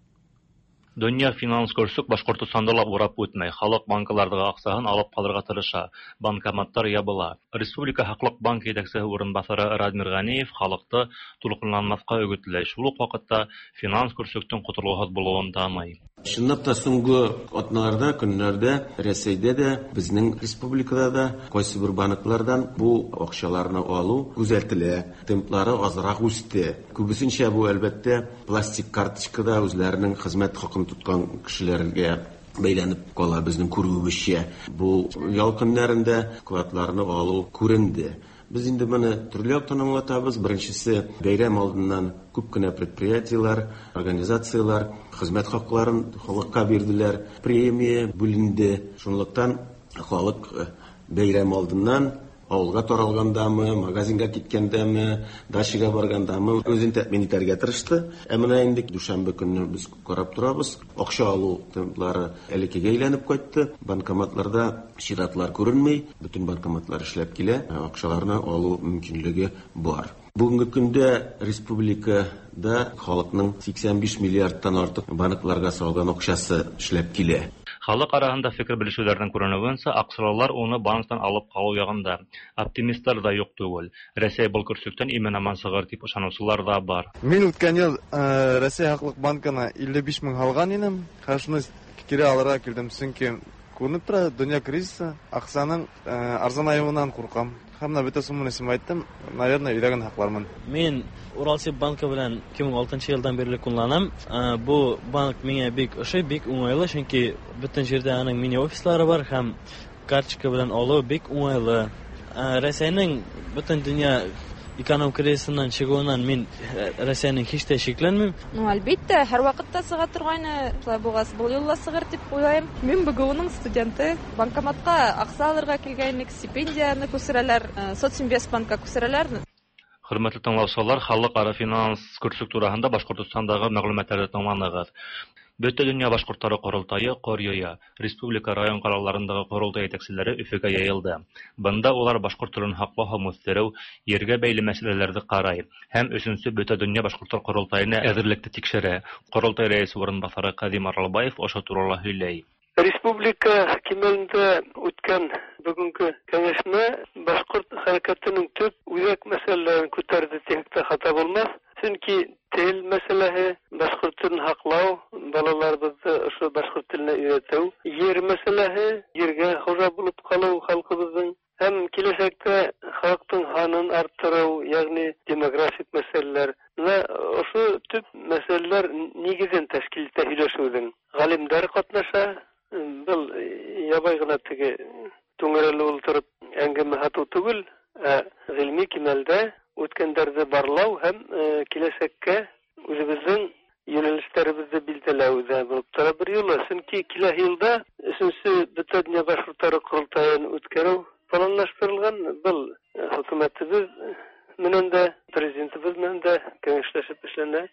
Дөнья финанс көрсөк Башкортостанда ла урап үтмәй. Халык банкалардагы акчасын алып калырга тырыша. Банкоматтар ябыла. Республика Хаклык банк җитәкчесе урынбасары Радмир Ганиев халыкты тулкынланмаска үгетләй. Шул ук вакытта финанс көрсөктән котылугыз булуын таный. Чынлап та соңгы атналарда, көннәрдә Рәсәйдә дә, безнең республикада да кайсы бер банклардан бу акчаларны алу күзәтелә. Темплары азрак үсте. Күбесенчә бу әлбәттә пластик карточкада үзләренең хезмәт хакын тоткан кешеләргә бәйләнеп кала безнең күрүебезчә. Бу ял көннәрендә вкладларны алу күренде. Без инде моны төрле яктан аңлатабыз. Беренчесе, бәйрәм алдыннан күп кенә предприятиеләр, организацияләр хезмәт хакларын халыкка бирделәр, премия бүленде. Шунлыктан халык бәйрәм алдыннан авылга таралгандамы, магазинга киткәндәме, дачага баргандамы үзен тәэмин итәргә тырышты. Ә менә инде дүшәмбе көнне без карап торабыз, акча алу темплары элеккегә әйләнеп кайтты. Банкоматларда чиратлар күренми, бөтен банкоматлар эшләп килә, акчаларны алу мөмкинлеге бар. Бүгенге көндә республикада халыкның сиксән биш миллиардтан артык банкларга салган акчасы эшләп килә. Халык арасында фикер белешүләрнең күренүенчә, акчалар уны банктан алып калу ягында. Оптимистлар да юк түгел. Рәсәй был көрсөктән имен-аман чыгар дип ышанучылар да бар. Мин үткән ел Рәсәй Хаклык банкына илле биш мең алган идем. Хәзер шуны кире алырга килдем, чөнки күренеп тора, дөнья кризисы, акчаның арзанаюыннан куркам. Һәм менә бөтә сумманы исем әйттем, наверное, өйдә генә һаклармын. Мин Уралсиб банкы белән ике мең алтынчы елдан бирле кулланам. Бу банк миңа бик ошый, бик уңайлы, чөнки бөтен җирдә аның мини офислары бар һәм карточка белән алу бик уңайлы. Рәсәйнең бөтен дөнья эконом кризисыннан чыгуыннан мин Рәсәйнең һич тә шикләнмим. Ну, әлбәттә, һәр вакытта чыга торгайны, шулай булгач, был юлла чыгыр дип уйлыйм. Мин БГУның студенты, банкоматка акча алырга килгәнлек, стипендияне күчерәләр, Социнвестбанкка күчерәләр. Хөрмәтле тыңлаучылар, халыкара финанс көрсөк турасында Башкортостандагы мәгълүматларны тыңланыгыз. Бөтә дөнья башкортлары корылтайы кор йыя. Республика район калаларындагы корылтай җитәкчеләре Өфөгә йыйылды. Бында улар башкорт телен һаклау һәм үстерү, ергә бәйле мәсьәләләрне карай һәм өченче бөтә дөнья башкортлар корылтаена әзерлекне тикшерә. Корылтай рәисе урынбасары Кадим Аралбаев ошо турала һөйләй. Республика кимәлендә үткән бүгенге кәңәшмә башкорт хәрәкәтенең төп үзәк мәсьәләләрен күтәрде дисәк тә хата булмас. Чөнки тел мәсьәләһе, башкорт телен һаклау, балаларыбызны ошо башкорт теленә өйрәтү, ер мәсьәләһе, ергә хужа булып калу халкыбызның һәм киләчәктә халыктың һанын арттыру, ягъни демографик мәсьәләләр. Менә ошо төп мәсьәләләр нигезен тәшкил итә һөйләшүнең. Галимнәр катнаша, был ябай гына теге түңәрәле ултырып әңгәмә һату түгел, ә ғилми кимәлдә үткәндәрҙе барлау һәм киләсәккә үҙебеҙҙең Юнәлешләребезне билдәләү дә булып тора бер юлы. Чөнки киләһе елда өченче Бөтендөнья башкортлары корылтаен үткәрү планлаштырылган. Был хөкүмәтебез менән дә, президентыбыз менән дә киңәшләшеп эшләнә.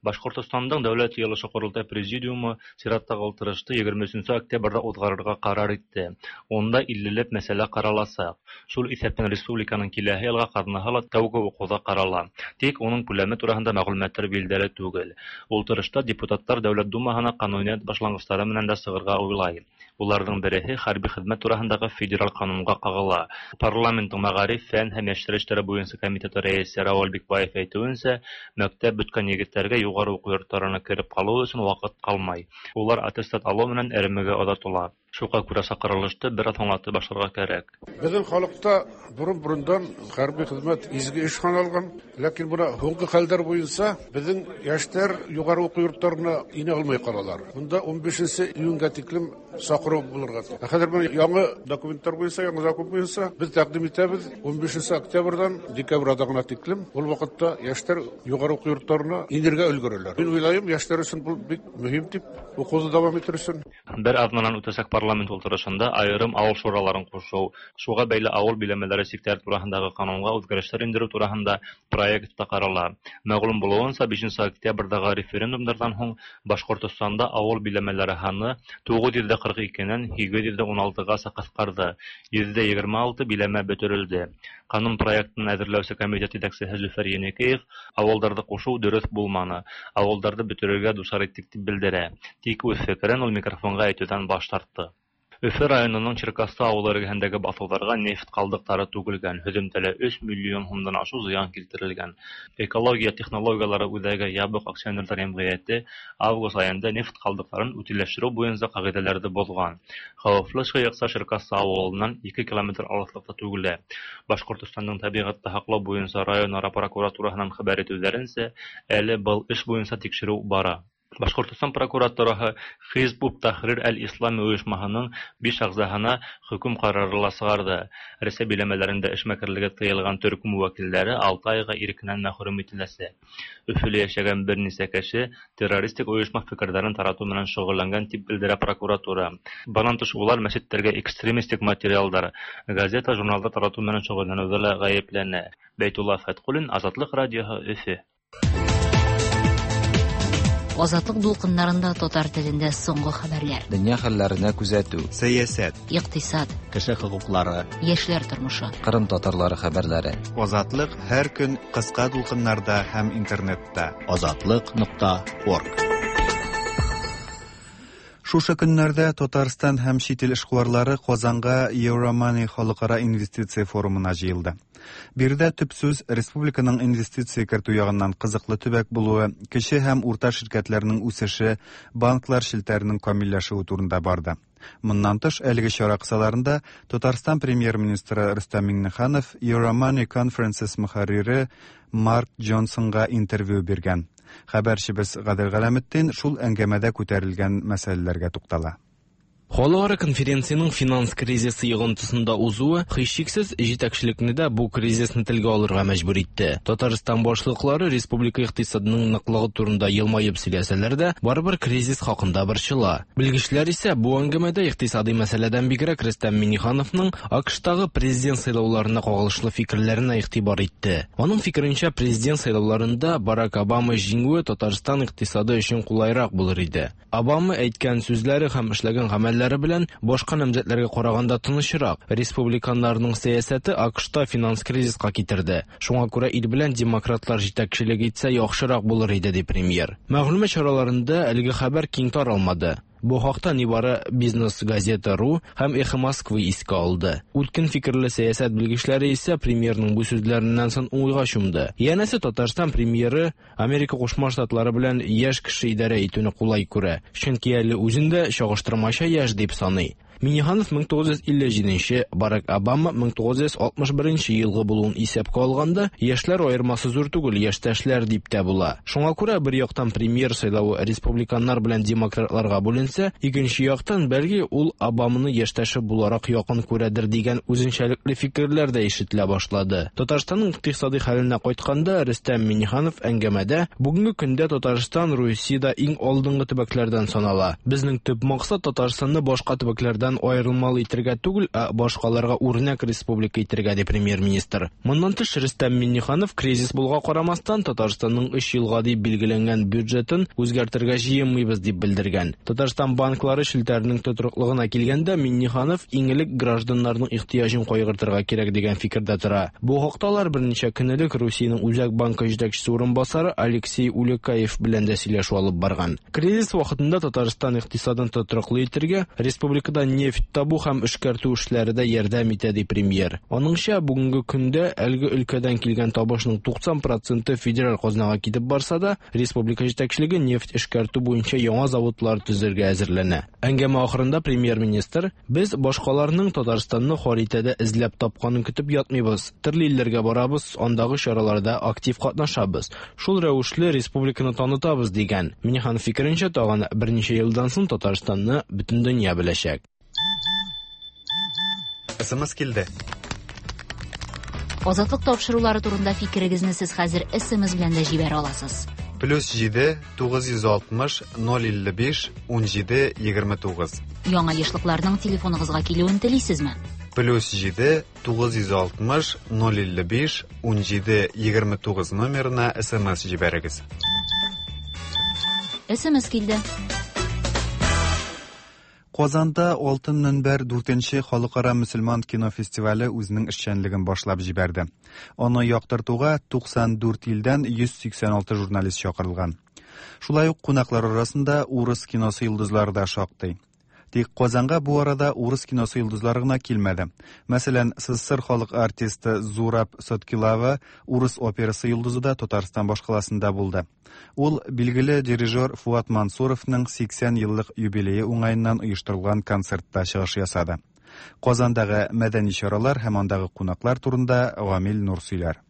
Башҡортостандың Дәүләт Йыйылышы Ҡоролтай Президиумы сираттағы ултырышты егерме өсөнсө октябрҙә уҙғарырға ҡарар итте. Унда иллеләп мәсьәлә ҡараласаҡ. Шул иҫәптән республиканың киләһе йылға ҡаҙнаһы ла тәүге уҡыуҙа ҡарала. Тик уның күләме тураһында мәғлүмәттәр билдәле түгел. Ултырышта депутаттар Дәүләт Думаһына ҡануниәт башланғыстары менән дә сығырға уйлай. Уларҙың береһе хәрби хеҙмәт тураһындағы федераль ҡанунға ҡағыла. Парламенттың мәғариф, фән һәм йәштәр эштәре буйынса комитеты рәйесе Рауил Бикбаев әйтеүенсә, мәктәп бөткән егеттәргә юғары уҡыу йорттарына кереп ҡалыу өсөн ваҡыт ҡалмай. Улар аттестат алыу менән эремегә оҙатыла. Шуға күрә саҡырылышты бер аҙ һуңлатып башларға кәрәк. Беҙҙең халыҡта борон-борондан хәрби хеҙмәт изге эш һаналған, ләкин бына һуңғы хәлдәр буйынса беҙҙең йәштәр юғары уҡыу йорттарына инә алмай ҡалалар. Бында ун бишенсе июнгә тиклем саҡырыу булырға. Ә хәҙер бына яңы документтар буйынса, яңы закон буйынса беҙ тәҡдим итәбеҙ ун бишенсе октябрҙән декабрь аҙағына тиклем. Ул ваҡытта йәштәр юғары уҡыу йорттарына инергә өлгөрәләр. Мин уйлайым, йәштәр өсөн был бик мөһим тип, уҡыуҙы дауам итер өсөн. Бер аҙнанан үтәсәк парламент ултырышында айырым ауыл шураларын ҡушыу, шуға бәйле ауыл биләмәләре сиктәре тураһындағы ҡанунға үҙгәрештәр индереү тураһында проект та ҡарала. Мәғлүм булыуынса, бишенсе октябрҙәге референдумдарҙан һуң Башҡортостанда ауыл биләмәләре һаны туғыҙ йөҙ ҡырҡ икенән һигеҙ йөҙ ун алтығаса ҡыҫҡарҙы, йөҙ егерме алты биләмә бөтөрөлдө. Ҡанун проектын әҙерләүсе комитет етәксеһе Зөфәр Еникеев ауылдарҙы ҡушыу дөрөҫ булманы, ауылдарҙы бөтөрөргә дусар иттек тип белдерә. Тик үҙ фекерен ул микрофонға әйтеүҙән баш тартты. Өфө районының Черкассы ауылы эргәһендәге баҫыуҙарға нефть ҡалдыҡтары түгелгән, һөҙөмтәлә өс миллион һумдан ашыу зыян килтерелгән. Экология технологиялары үҙәге ябыҡ акционерҙар йәмғиәте август айында нефть ҡалдыҡтарын үтиләштереү буйынса ҡағиҙәләрҙе боҙған. Хәүефле шыйыҡса Черкассы ауылынан ике километр алыҫлыҡта түгелә. Башҡортостандың тәбиғәтте һаҡлау буйынса район ара прокуратураһынан хәбәр итеүҙәренсә, әле был эш буйынса тикшереү бара. Башҡортостан прокуратураһы Хизб ут-Тахрир әл-Ислами ойошмаһының биш ағзаһына хөкөм ҡарары ла сығарҙы. Рәсәй биләмәләрендә эшмәкәрлеге тыйылған төркөм вәкилдәре алты айға ирекенән мәхрүм ителәсәк. Өфөлә йәшәгән бер нисә кеше террористик ойошма фекерҙәрен таратыу менән шөғөлләнгән тип белдерә прокуратура. Бынан тыш улар мәсеттәргә экстремистик материалдар, газета, журналдар таратыу менән шөғөлләнеүҙә лә ғәйепләнә. Бәйтулла Фәтҡуллин, Азатлыҡ радиоһы, Өфө. Азатлык дулкыннарында татар телендә соңгы хәбәрләр. Дөнья хәлләренә күзәтү, сәясәт, икътисад, кеше хокуклары, яшьләр тормышы, Кырым татарлары хәбәрләре. Азатлык һәр көн кыска дулкыннарда һәм интернетта. Азатлык нокта орг. Шушы көннәрдә Татарстан һәм чит ил эшкуарлары Казанга Euromoney халыкара инвестиция форумына җыелды. Биредә төп сүз республиканың инвестиция кертү ягыннан кызыклы төбәк булуы, кече һәм урта ширкәтләрнең үсеше, банклар челтәренең камилләшүе турында барды. Моннан тыш, әлеге чара кысаларында Татарстан премьер-министры Рөстәм Миңнеханов Euromoney Conferences мөхәррире Марк Джонсонга интервью биргән. Хәбәрчебез Гадел Галәметдин шул әңгәмәдә күтәрелгән мәсьәләләргә туктала. Халыкара конференциянең финанс кризисы йогынтысында узуы һичшиксез җитәкчелекне дә бу кризисны телгә алырга мәҗбүр итте. Татарстан башлыклары республика икътисадының ныклыгы турында елмаеп сөйләсәләр дә, барыбер кризис хакында борчыла. Белгечләр исә бу әңгәмәдә икътисади мәсьәләдән бигрәк Рөстәм Миңнехановның АКШтагы президент сайлауларына кагылышлы фикерләренә игътибар итте. Аның фикеренчә, президент сайлауларында Барак Обама җиңүе Татарстан икътисады өчен кулайрак булыр иде. Обама әйткән сүзләре һәм эшләгән гамәлләре белән башка намзәтләргә караганда тынычрак. Республиканнарның сәясәте АКШта финанс кризиска китерде. Шуңа күрә ил белән демократлар җитәкчелек итсә яхшырак булыр иде, ди премьер. Мәгълүмат чараларында әлеге хәбәр киң таралмады. Бу хакта нибары Бизнес газета ру һәм Эхо Москвы искә алды. Үткен фикерле сәясәт белгечләре исә премьерның бу сүзләреннән соң уйга чумды. Янәсе, Татарстан премьеры Америка Кушма Штатлары белән яшь кеше идарә итүне кулай күрә, чөнки әле үзен дә чагыштырмача яшь дип саный. Минниханов мең тугыз йөз илле җиденче, Барак Обама мең тугыз йөз алтмыш беренче елгы булуын исәпкә алганда, яшьләр аермасы зур түгел, яшьтәшләр дип тә була. Шуңа күрә бер яктан премьер сайлавы республиканнар белән демократларга бүленсә, икенче яктан бәлки ул Обаманы яшьтәше буларак якын күрәдер дигән үзенчәлекле фикерләр дә ишетелә башлады. Татарстанның икътисади хәленә кайтканда, Рөстәм Минниханов әңгәмәдә бүгенге көндә Татарстан Русиядә иң алдынгы төбәкләрдән санала. Безнең төп максат Татарстанны башка төбәкләрдән аерылмалы итәргә түгел, ә башкаларга үрнәк республика итәргә, ди премьер-министр. Моннан тыш Рөстәм Минниханов кризис булга карамастан Татарстанның өч елга дип билгеләнгән бюджетын үзгәртергә җыенмыйбыз дип белдергән. Татарстан банклары челтәренең тотрыклыгына килгәндә Минниханов иң элек гражданнарның ихтыяҗын кайгыртырга кирәк дигән фикердә тора. Бу хакта алар берничә көн элек Русиянең Үзәк банкы җитәкчесе урынбасары Алексей Улюкаев белән дә сөйләшү алып барган. Кризис вакытында Татарстан икътисадын тотрыклы итәргә, республикада нефть табу һәм эшкәртү эшләре дә ярдәм итә, ди премьер. Аныңча, бүгенге көндә әлеге өлкәдән килгән табышның туксан проценты федераль казнага китеп барса да, республика җитәкчелеге нефть эшкәртү буенча яңа заводлар төзергә әзерләнә. Әңгәмә ахырында премьер-министр: "Без башкаларның Татарстанны харитада эзләп тапканын көтеп ятмыйбыз. Төрле илләргә барабыз, андагы чараларда актив катнашабыз. Шул рәвешле республиканы танытабыз", дигән. Минниханов фикеренчә, тагын берничә елдан соң Татарстанны бөтен дөнья беләчәк. Эс эм эс килде. Азатлык тапшырулары турында фикерегезне сез хәзер эс эм эс белән дә җибәрә аласыз. Плюс җиде, тугыз йөз алтмыш, ноль илле биш, ун җиде, егерме тугыз. Яңа ешлыкларның телефоныгызга килүен телисезме? Плюс җиде, тугыз йөз алтмыш, ноль илле биш, ун җиде, егерме тугыз номерына эс эм эс җибәрегез. эс эм эс килде. Казанда Алтын Мөнбәр дүртенче халыкара мөселман кино фестивале үзенең эшчәнлеген башлап җибәрде. Аны яктыртуга туксан дүрт илдән йөз сиксән алты журналист чакырылган. Шулай ук кунаклар арасында урыс киносы йолдызлары да шактый. Тик Казанга бу арада урыс киносы йолдызлары гына килмәде. Мәсәлән, СССР халык артисты Зураб Соткилава урыс операсы йолдызы да Татарстан башкаласында булды. Ул билгеле дирижер Фуат Мансуровның сиксән еллык юбилее уңаеннан оештырылган концертта чыгыш ясады. Казандагы мәдәни чаралар һәм андагы кунаклар турында Гамил Нур сөйләр.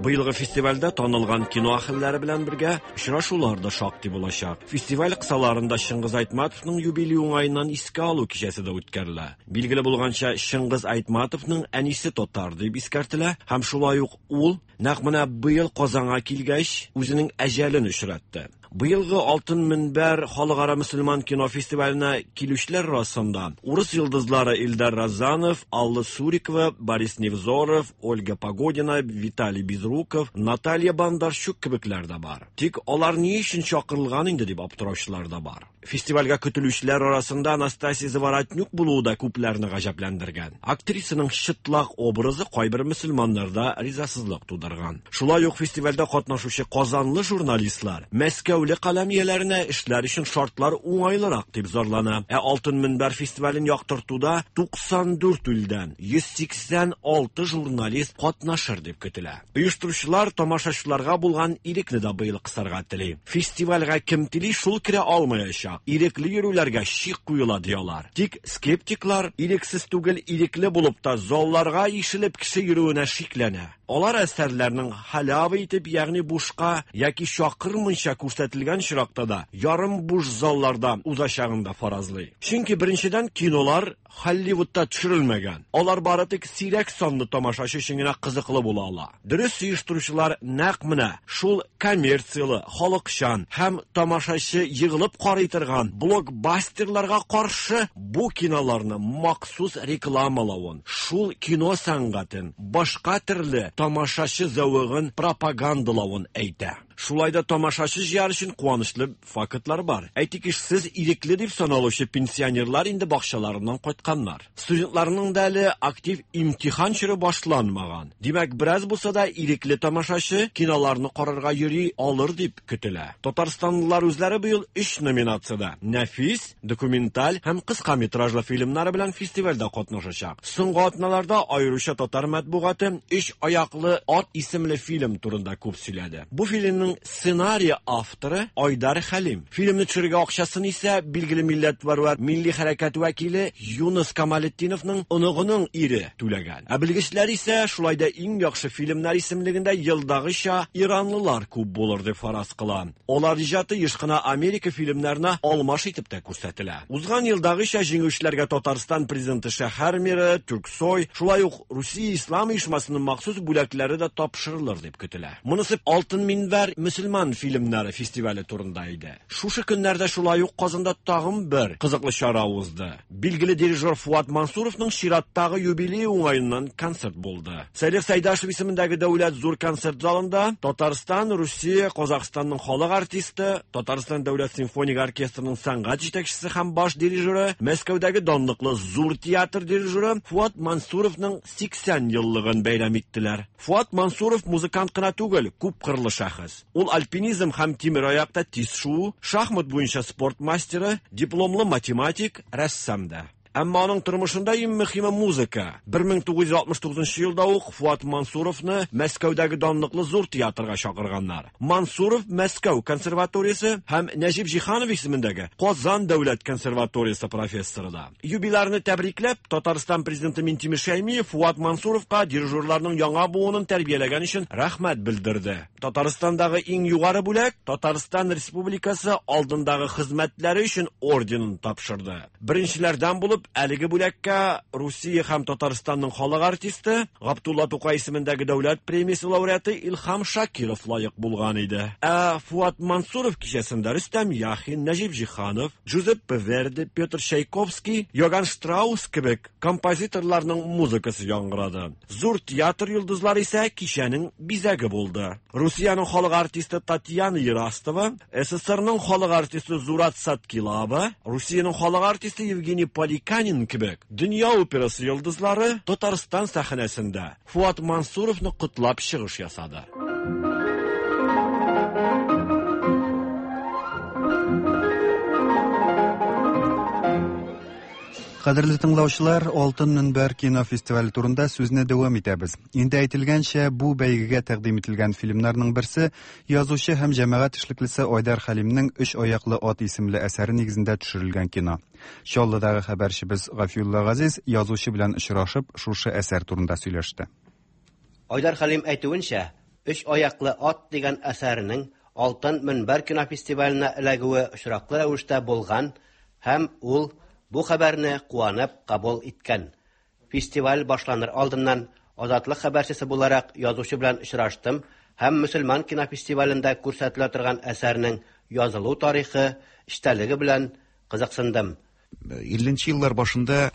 Быелгы фестивальдә танылган кино әһелләре белән бергә очрашулар да шактый булачак. Фестиваль кысаларында Чыңгыз Айтматовның юбилее уңаеннан искә алу кичәсе дә үткәрелә. Билгеле булганча, Чыңгыз Айтматовның әнисе татар дип искәртелә һәм шулай ук ул нәкъ менә быел Казанга килгәч үзенең әҗәлен очратты. Быелгы Алтын Мөнбәр халыкара мөселман кино фестиваленә килүчеләр арасында урыс йолдызлары Илдар Разанов, Алла Сурикова, Борис Невзоров, Ольга Погодина, Виталий Безруков, Наталья Бондарчук кебекләр дә бар. Тик алар ни өчен чакырылган инде дип аптыраучылар да бар. Фестивальгә көтелүчеләр арасында Анастасия Заворотнюк булуы да күпләрне гаҗәпләндергән. Актрисаның чытлак образы кайбер мөселманнарда ризасызлык тудырган. Шулай ук фестивальдә катнашучы казанлы журналистлар Мәскәүле каләм ияләренә эшләр өчен шартлар уңайлырак дип зарлана. Ә Алтын Мөнбәр фестивален яктыртуда туксан дүрт илдән йөз сиксән алты журналист катнашыр дип көтелә. Оештыручылар тамашачыларга булган ирекне дә быел кысарга тели. Фестивальгә кем тели, шул керә алмаячак. Ирекле йөрүләргә шик куела диялар. Тик скептиклар ирексез түгел, ирекле булып та залларга ишелеп кеше йөрүенә шикләнә. Алар әсәрләрнең халява итеп, ягъни бушка яки чакырмыйча күрсәтелгән очракта да ярым буш залларда узачагын да фаразлый. Чөнки беренчедән кинолар Холливудта төшерелмәгән. Алар бары тик сирәк санлы тамашачы өчен генә кызыклы була ала. Дөрес оештыручылар нәкъ менә шул коммерцияле, халыкчан һәм тамашачы егылып карый торган блокбастерларга каршы бу киноларны махсус рекламалавын, шул кино сәнгатен башка төрле тамашачы зәвыгын пропагандалавын әйтә. Шулай да тамашачы җыяр өчен куанычлы фактлар бар. Әйтик, эшсез ирекле дип саналучы пенсионерлар инде бакчаларыннан кайтканнар. Студентларның да әле актив имтихан чоры башланмаган. Димәк, бераз булса да ирекле тамашачы киноларны карарга йөри алыр дип көтелә. Татарстанлылар үзләре быел өч номинациядә: нәфис, документаль һәм кыска метражлы фильмнары белән фестивальдә катнашачак. Соңгы атналарда аеруча татар матбугаты «Өч аяклы ат» исемле фильм турында күп сөйләде. Бу фильмның сценарий авторы Айдар Хәлим. Фильмны төшерергә акчасын исә билгеле милләтпәрвәр, милли хәрәкәт вәкиле Юныс Камалетдиновның оныгының ире түләгән. Ә белгечләр исә шулай да иң яхшы фильмнар исемлегендә елдагыча иранлылар күп булыр дип фараз кыла. Алар иҗаты еш кына Америка фильмнарына алмаш итеп тә күрсәтелә. Узган елдагыча җиңүчеләргә Татарстан президенты шәһәр мэры Тюрксой, шулай ук Русия Ислам оешмасының махсус бүләкләре дә тапшырылыр дип көтелә. Монысы Алтын Минбәр мөселман фильмнары фестивале турында иде. Шушы көннәрдә шулай ук Казанда тагын бер кызыклы чара узды. Билгеле дирижер Фуат Мансуровның чираттагы юбилее уңаеннан концерт булды. Салих Сайдашев исемендәге дәүләт зур концерт залында Татарстан, Русия, Казахстанның халык артисты, Татарстан дәүләт симфоник оркестрының сәнгать җитәкчесе һәм баш дирижеры, Мәскәүдәге данлыклы зур театр дирижеры Фуат Мансуровның сиксән еллыгын бәйрәм иттеләр. Фуат Мансуров музыкант кына түгел, күп кырлы шәхес. Ул альпинизм һәм тимераякта тиз шуу, шахмат буенча спорт мастеры, дипломлы математик, рәссам да. Әмма аның тормышында иң мөһиме музыка. бер мең тугыз йөз алтмыш тугызынчы елда ук Фуат Мансуровны Мәскәүдәге данлыклы зур театрга чакырганнар. Мансуров Мәскәү консерваториясе һәм Нәҗип Җиһанов исемендәге Казан дәүләт консерваториясе профессоры да. Юбилярны тәбрикләп, Татарстан президенты Минтимер Шәймиев Фуат Мансуровка дирижерларның яңа буынын тәрбияләгән өчен рәхмәт белдерде. Татарстандагы иң югары бүләк Татарстан Республикасы алдындагы хезмәтләре өчен орденын тапшырды. Беренчеләрдән булып әлеге бүләккә Русия һәм Татарстанның халык артисты Габдулла Тукай исемендәге дәүләт премиясе лауреаты Илһам Шакиров лаек булган иде. Ә Фуат Мансуров кичәсендә Рөстәм Яхин, Нәҗип Җиһанов, Джузеппе Верди, Петр Чайковский, Йоганн Штраус кебек композиторларның музыкасы яңгырады. Зур театр йолдызлары исә кичәнең бизәге булды. Русиянең халык артисты Татьяна Ерастова, СССРның халык артисты Зурат Саткилава, Русиянең халык артисты Евгений Поликанин кебек дөнья операсы йолдызлары Татарстан сәхнәсендә Фуат Мансуровны котлап чыгыш ясады. Кадерле тыңлаучылар, Алтын Мөнбәр кино фестивале турында сүзне дәвам итәбез. Инде әйтелгәнчә, бу бәйгегә тәкъдим ителгән фильмнарның берсе язучы һәм җәмәгать эшлеклесе Айдар Хәлимнең «Өч аяклы ат» исемле әсәре нигезендә төшерелгән кино. Чаллыдагы хәбәрчебез Гафиулла Газиз язучы белән очрашып, шушы әсәр турында сөйләште. Айдар Хәлим әйтүенчә, «Өч аяклы ат» дигән әсәренең Алтын Мөнбәр кино фестиваленә эләгүе очраклы рәвештә булган һәм ул бу хәбәрне куанып кабул иткән. Фестиваль башланыр алдыннан Азатлык хәбәрчесе буларак язучы белән очраштым һәм мөселман кино фестивалендә күрсәтелә торган әсәрнең язылу тарихы, эчтәлеге белән кызыксындым. Илленче еллар башында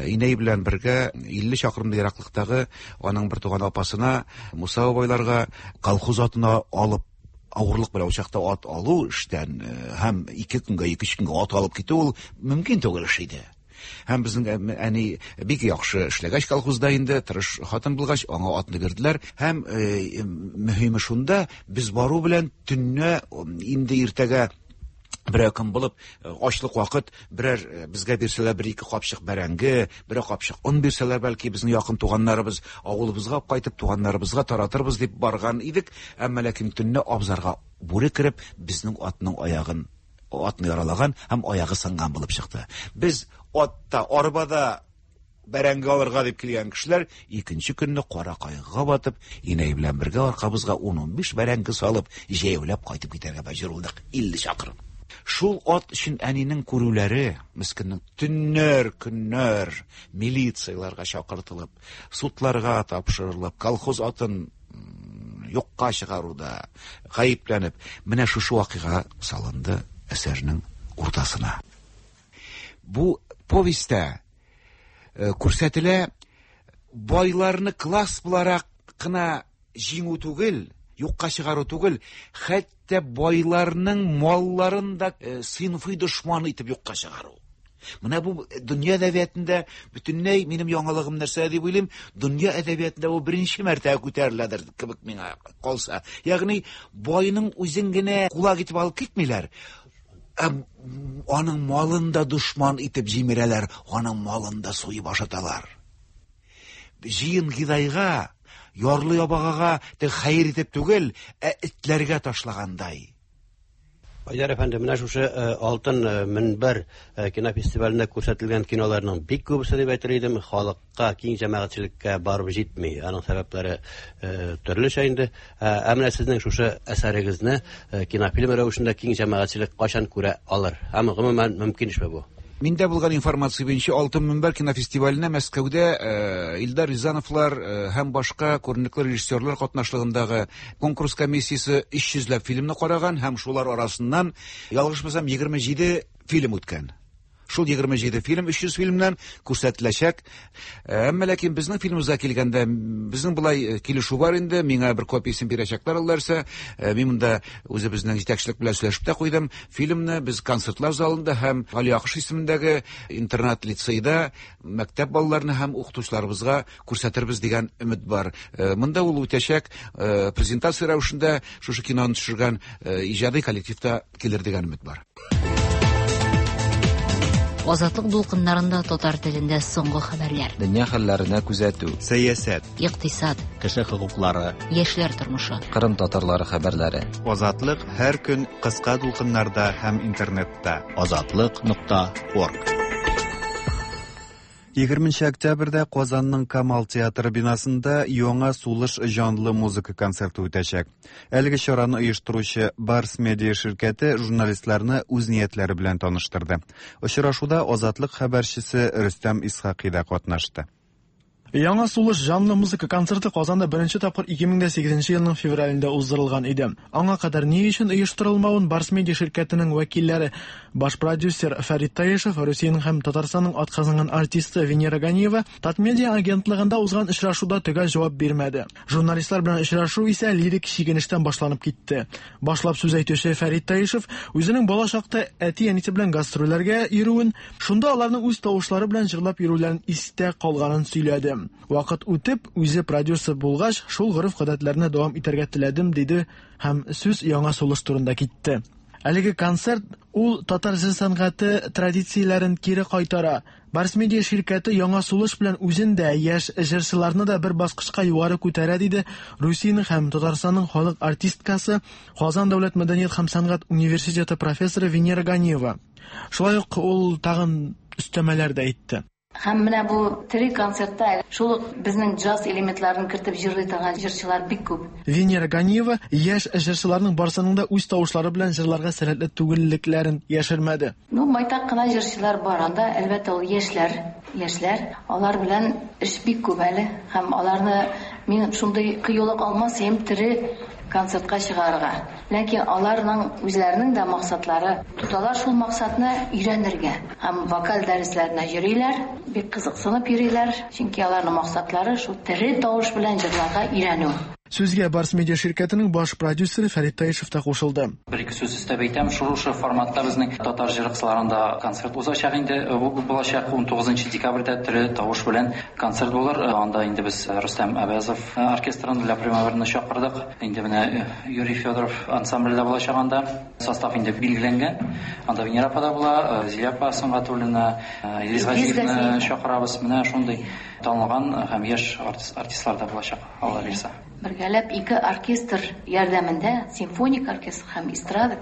инәй белән бергә илле чакрымлы ераклыктагы аның бер туган апасына Муса бабайларга колхоз атына алып авырлык белән учакта ат алу эштән һәм ике көнгә, ике-өч көнгә ат алып китү ул мөмкин түгел эш иде. Һәм безнең әни бик яхшы эшләгәч колхозда инде, тырыш хатын булгач, аңа атны бирделәр. Һәм мөһиме шунда, без бару белән төнне инде иртәгә берәр көн булып, ачлык вакыт, берәр безгә бирсәләр бер ике капчык бәрәңге, берәр капчык он бирсәләр, бәлки безнең якын туганнарыбыз авылыбызга кайтып туганнарыбызга таратырбыз дип барган идек. Әмма ләкин төнне абзарга бүре кереп, безнең атның аягын, атны яралаган һәм аягы сынган булып чыкты. Без атта, арбада бәрәңге алырга дип килгән кешеләр икенче көнне кара кайгыга батып, инәй белән бергә аркабызга ун-унбиш бәрәңге салып, җәяүләп кайтып китәргә мәҗбүр булдык. Илле чакрым. Шул ат өчен әнинең күрүләре, мескеннең төннәр, көннәр милицияларга чакыртылып, судларга тапшырылып, колхоз атын юкка чыгаруда гаепләнеп, менә шушы вакыйга салынды әсәрнең уртасына. Бу повестьтә күрсәтелә байларны класс буларак кына җиңү түгел, юкка чыгару түгел, хәтта байларның малларын да сыйнфый дошман итеп юкка чыгару. Менә бу дөнья әдәбиятында бөтенләй минем яңалыгым нәрсә дип уйлыйм, дөнья әдәбиятында бу беренче мәртәбә күтәреләдер кебек миңа калса. Ягъни байның үзен генә кулак итеп алып китмиләр, ә аның малын да дошман итеп җимерәләр, аның малын да суеп ашаталар. Җыен гидайга, ярлы ябагага тек хәер итеп түгел, ә этләргә ташлагандай. Айдар әфәнде, менә шушы Алтын Мөнбәр кинофестивалендә күрсәтелгән киноларның бик күбесе дип әйтер идем, халыкка, киң җәмәгатьчелеккә барып җитми. Аның сәбәпләре төрлечә инде. Ә менә сезнең шушы әсәрегезне кинофильм рәвешендә киң җәмәгатьчелек кайчан күрә алыр? Һәм гомумән мөмкин эшме бу? Миндә булган информация буенча Алтын Мөнбәр кинофестиваленә Мәскәүдә Илдар Рязановлар һәм башка күренекле режиссерлар катнашлыгындагы конкурс комиссиясе өч йөзләп фильмны караган һәм шулар арасыннан, ялгышмасам, егерме җиде фильм үткән. Шул егерме җиде фильм өч йөз фильмнән күрсәтеләчәк. Әмма ләкин безнең фильмыбызга килгәндә, безнең болай килешү бар инде, миңа бер копиясен бирәчәкләр аларса. Мин монда үзебезнең җитәкчелек белән сөйләшеп тә куйдым. Фильмны без концертлар залында һәм Гали Акыш исемендәге интернат-лицейда мәктәп балаларына һәм укытучыларыбызга күрсәтербез дигән өмет бар. Монда ул үтәчәк презентация рәвешендә шушы киноны төшергән иҗади коллективта килер дигән өмет бар. Азатлык дулкыннарында татар телендә соңгы хәбәрләр. Дөнья хәлләренә күзәтү. Сәясәт. Икътисад. Кеше хокуклары. Яшьләр тормышы. Кырым татарлары хәбәрләре. Азатлык һәр көн кыска дулкыннарда һәм интернетта. Азатлык нокта орг. Егерменче октябрьдә Казанның Камал театры бинасында яңа сулыш җанлы музыка концерты үтәчәк. Әлеге чараны оештыручы Барс Медиа ширкәте журналистларны үз ниятләре белән таныштырды. Очрашуда Азатлык хәбәрчесе Рөстәм Исхакый да катнашты. Яңа сулыш җанлы музыка концерты Казанда беренче тапкыр ике мең дә сигезенче елның февралендә уздырылган иде. Аңа кадәр ни өчен оештырылмавын Барс Медиа ширкәтенең вәкилләре, баш продюсер Фәрит Таишев, Русиянең һәм Татарстанның атказанган артисты Венера Ганиева Татмедиа агентлыгында узган очрашуда төгәл җавап бирмәде. Журналистлар белән очрашу исә лирик чигенештән башланып китте. Башлап сүз әйтүче Фәрит Таишев үзенең бала чакта әти-әнисе белән гастрольләргә йөрүен, шунда аларның үз тавышлары белән җырлап йөрүләрен истә калганын сөйләде. Вакыт үтеп, үзе продюсер булгач, шул гореф-гадәтләрне дәвам итәргә теләдем, диде һәм сүз яңа сулыш турында китте. Әлеге концерт ул татар җыр сәнгате традицияләрен кире кайтара. Барс Медиа ширкәте яңа сулыш белән үзен дә, яшь җырчыларны да бер баскычка югары күтәрә, диде Русиянең һәм Татарстанның халык артисткасы, Казан дәүләт мәдәният һәм сәнгать университеты профессоры Венера Ганиева. Шулай ук ул тагын өстәмәләр дә әйтте. Һәм менә бу тере концертта шул ук безнең джаз элементларын кертеп җырлый торган җырчылар бик күп. Венера Ганиева яшь җырчыларның барсының да үз тавышлары белән җырларга сәләтле түгеллекләрен яшермәде. Ну, байтак кына җырчылар бар анда, әлбәттә ул яшьләр, яшьләр, алар белән эш бик күп әле һәм аларны мин шундый кыюлык алмас идем тере концертка чыгарырга. Ләкин аларның үзләренең дә максатлары, тоталар шул максатны өйрәнергә. Һәм вокаль дәресләренә йөриләр, бик кызыксынып йөриләр, чөнки аларның максатлары шул тере тавыш белән җырларга өйрәнү. Сүзгә Барс Медиа ширкәтенең баш продюсеры Фәрит Таишев та кушылды. Бер ике сүз өстәп әйтәм, шушы форматта безнең татар җыр кысаларында концерт узачак инде. Бу булачак ун тугызынчы декабрьдә тере тавыш белән концерт булыр. Анда инде без Рөстәм Әбәзов оркестрын Ля Примаверны чакырдык. Инде менә Юрий Федоров ансамбле дә булачак анда. Состав инде билгеләнгән. Анда Венера апа да була, Зилә апа Сөнгатуллина, Илгиз Газиевны чакырабыз. Менә шундый танылган һәм яшь артистлар да булачак, Алла бирсә. Бергәләп ике оркестр ярдәмендә, симфоник оркестр һәм эстрада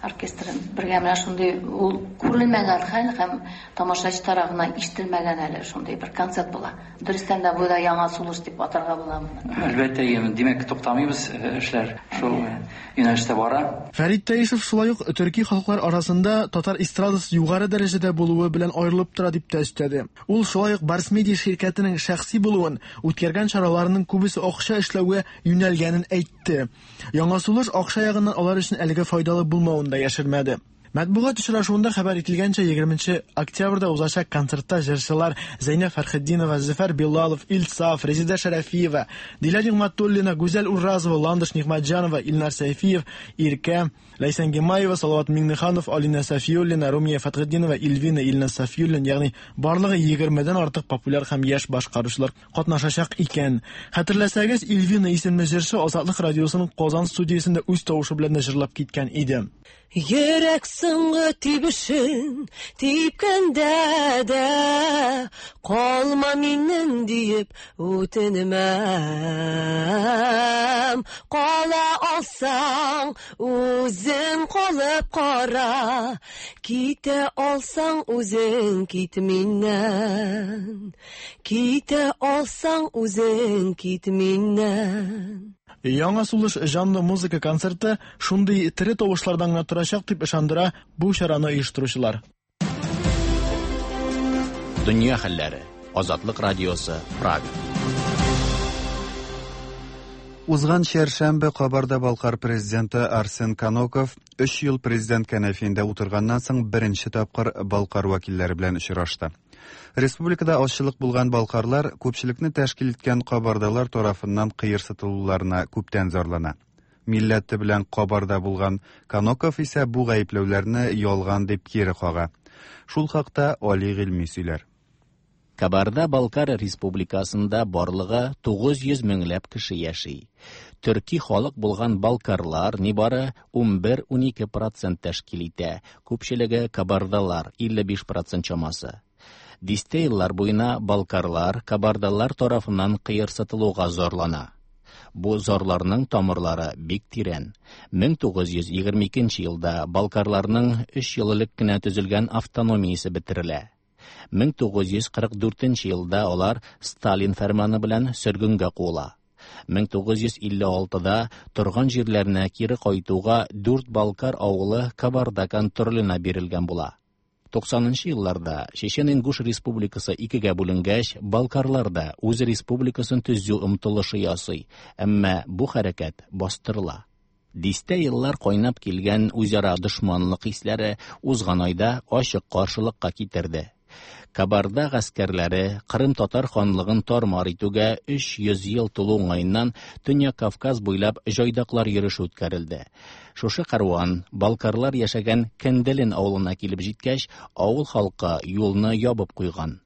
оркестры бергә менә шундый ул күрелмәгән хәл һәм тамашачы тарафыннан ишетелмәгән әле шундый бер концерт була. Дөрестән дә бу да яңа сулыш дип атарга була моны. Әлбәттә, димәк, туктамыйбыз, эшләр шул юнәлештә бара. Фәрит Таишев шулай ук төрки халыклар арасында татар эстрадасы югары дәрәҗәдә булуы белән аерылып тора дип тә өстәде. Ул шулай ук Барс Медиа ширкәтенең шәхси булуын, үткәргән чараларының күбесе акча эшләүгә юнәлгәнен әйтте. Яңа сулыш акча ягыннан алар өчен әлегә файдалы булмавын да яшермәде. Матбугат очрашуында хәбәр ителгәнчә, егерменче октябрьдә узачак концертта җырчылар Зәйнәб Фәрхетдинова, Зөфәр Билалов, Илсаф, Резеда Шәрәфиева, Дилә Нигъмәтуллина, Гүзәл Уразова, Ландыш Нигъмәтҗанова, Илнар Сәйфиев, Иркә, Ләйсән Гимаева, Салават Миңнеханов, Алина Сафиуллина, Румия Фәтхетдинова, Ильвина, Илназ Сафиуллин, ягъни барлыгы егермедән артык популяр һәм яшь башкаручылар катнашачак икән. Хәтерләсәгез, Ильвина исемле җырчы Азатлык радиосының Казан студиясендә үз тавышы белән дә җырлап киткән иде. Йөрәк соңгы тибешен типкәндә дә калма миннән диеп үтенмәм. Кала алсаң үзең калып кара, китә алсаң үзең кит миннән. Китә алсаң үзең кит миннән. Яңа сулыш җанлы музыка концерты шундый тере тавышлардан гына торачак дип ышандыра бу чараны оештыручылар. Дөнья хәлләре. Азатлык радиосы, Прага. Узган чәршәмбе Кабарда-Балкар президенты Арсен Каноков өч ел президент кәнәфиендә утырганнан соң беренче тапкыр Балкар вәкилләре белән очрашты. Республикада азчылык булган балкарлар күпчелекне тәшкил иткән кабардалар тарафыннан кыерсытылуларына күптән зарлана. Милләте белән кабарда булган Каноков исә бу гаепләүләрне ялган дип кире кага. Шул хакта Али Гыйльми сөйләр. Кабарда-Балкар республикасында барлыгы тугыз йөз меңләп кеше яши. Төрки халык булган балкарлар нибары унбер-унике процент тәшкил итә, күпчелеге кабардалар илле биш процент чамасы. Дистә еллар буена балкарлар кабардалар тарафыннан кыерсытылуга зарлана. Бу зарларның тамырлары бик тирән. мең тугыз йөз егерме икенче елда балкарларның өч ел элек кенә төзелгән автономиясе бетерелә. мең тугыз йөз кырык дүртенче елда алар Сталин фәрманы белән сөргенгә куыла. мең тугыз йөз илле алтыда торган җирләренә кире кайтуга дүрт балкар авылы Кабарда контроленә бирелгән була. Туксанынчы елларда Чечен-Ингуш республикасы икегә бүленгәч, балкарлар да үз республикасын төзү омтылышы ясый, әмма бу хәрәкәт бастырыла. Дистә еллар кайнап килгән үзара дошманлык хисләре узган айда ачык каршылыкка китерде. Кабарда гаскәрләре Кырым татар ханлыгын тар-мар итүгә өч йөз ел тулу уңаеннан Төньяк Кавказ буйлап җайдаклар йөреше үткәрелде. Шушы каруан балкарлар яшәгән Кенделен авылына килеп җиткәч, авыл халкы юлны ябып куйган.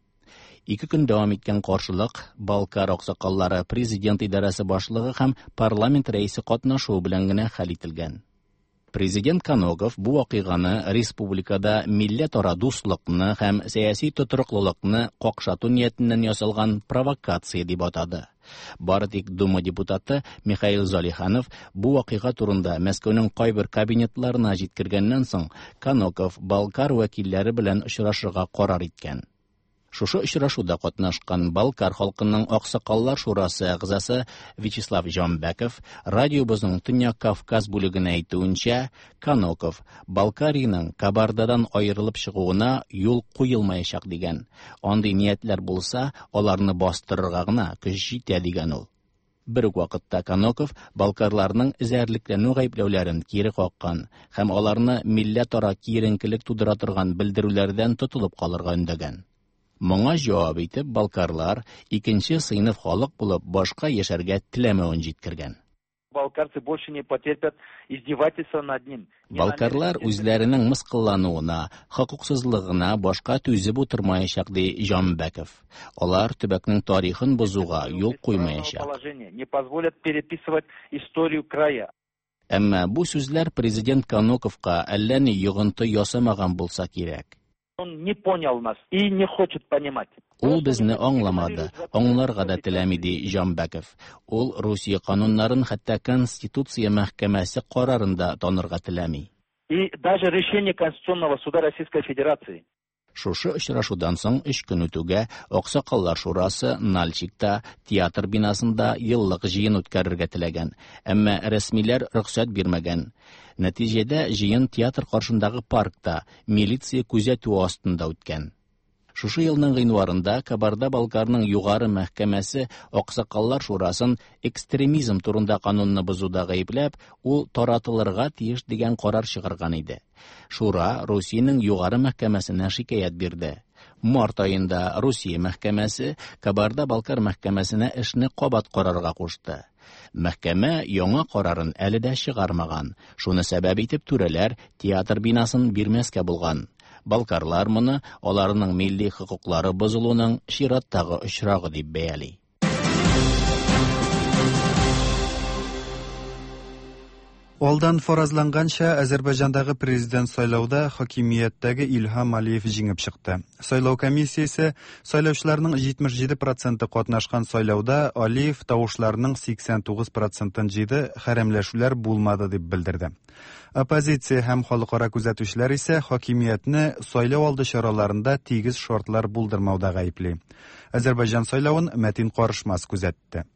Ике көн дәвам иткән каршылык Балкар аксакаллары, президент идарәсе башлыгы һәм парламент рәисе катнашуы белән генә хәл ителгән. Президент Каноков бу вакыйганы республикада милләтара дуслыкны һәм сәяси тотрыклылыкны какшату ниятеннән ясалган провокация дип атады. Бары тик Дума депутаты Михаил Залиханов бу вакыйга турында Мәскәүнең кайбер кабинетларына җиткергәннән соң Каноков Балкар вәкилләре белән очрашырга карар иткән. Шушы очрашуда катнашкан Балкар халкының Аксакаллар шурасы әгъзасы Вячеслав Җанбәков радиобызның Төньяк Кавказ бүлегенә әйтүенчә, Каноков Балкариның Кабардадан аерылып чыгуына юл куелмаячак дигән. Андый ниятләр булса, аларны бастырырга гына көч җитә дигән ул. Бер үк вакытта Каноков балкарларның эзәрлекләнү гаепләүләрен кире каккан һәм аларны милләтара киеренкелек тудыра торган белдерүләрдән тотылып калырга өндәгән. Моңа җавап итеп балкарлар икенче сыйныф халык булып башка яшәргә теләмәвен җиткергән. Балкарцы больше не потерпят издевательства над ним. Балкарлар үзләренең мыскыллануына, хокуксызлыгына башка түзеп утырмаячак, ди Җанбәков. Алар төбәкнең тарихын бозуга юл куймаячак. Положение не позволят переписывать историю края. Әмма бу сүзләр президент Каноковка әллә ни йогынты ясамаган булса кирәк. Он не понял нас и не хочет понимать. Ул безне аңламады, аңларга да теләми, ди Җанбәков. Ул Русия кануннарын хәтта Конституция мәхкәмәсе карарын да танырга теләми. И даже решение Конституционного суда Российской Федерации. Шушы очрашудан соң өч көн үтүгә Аксакаллар шурасы Нальчикта театр бинасында еллык җыен үткәрергә теләгән, әмма рәсмиләр рөхсәт бирмәгән. Нәтиҗәдә җыен театр каршындагы паркта милиция күзәтүе астында үткән. Шушы елның гыйнварында Кабарда-Балкарның югары мәхкәмәсе Аксакаллар шурасын экстремизм турында канунны бозуда гаепләп, ул таратылырга тиеш дигән карар чыгарган иде. Шура Русиянең югары мәхкәмәсенә шикаять бирде. Март аенда Русия мәхкәмәсе Кабарда-Балкар мәхкәмәсенә эшне кабат карарга кушты. Мәхкәмә яңа карарын әле дә чыгармаган. Шуны сәбәп итеп түрәләр театр бинасын бирмәскә булган. Балкарлар моны аларның милли хокуклары бозылуның чираттагы очрагы дип бәяли. Алдан фаразланганча, Азербайҗандагы президент сайлауда хакимияттәге Илһам Алиев җиңеп чыкты. Сайлау комиссиясе сайлаучыларның җитмеш җиде проценты катнашкан сайлауда Алиев тавышларның сиксән тугыз процентын җыйды, хәрәмләшүләр булмады дип белдерде. Оппозиция һәм халыкара күзәтүчеләр исә хакимиятне сайлау алды чараларында тигез шартлар булдырмауда гаепли. Азербайҗан сайлавын Мәтин Карышмас күзәтте.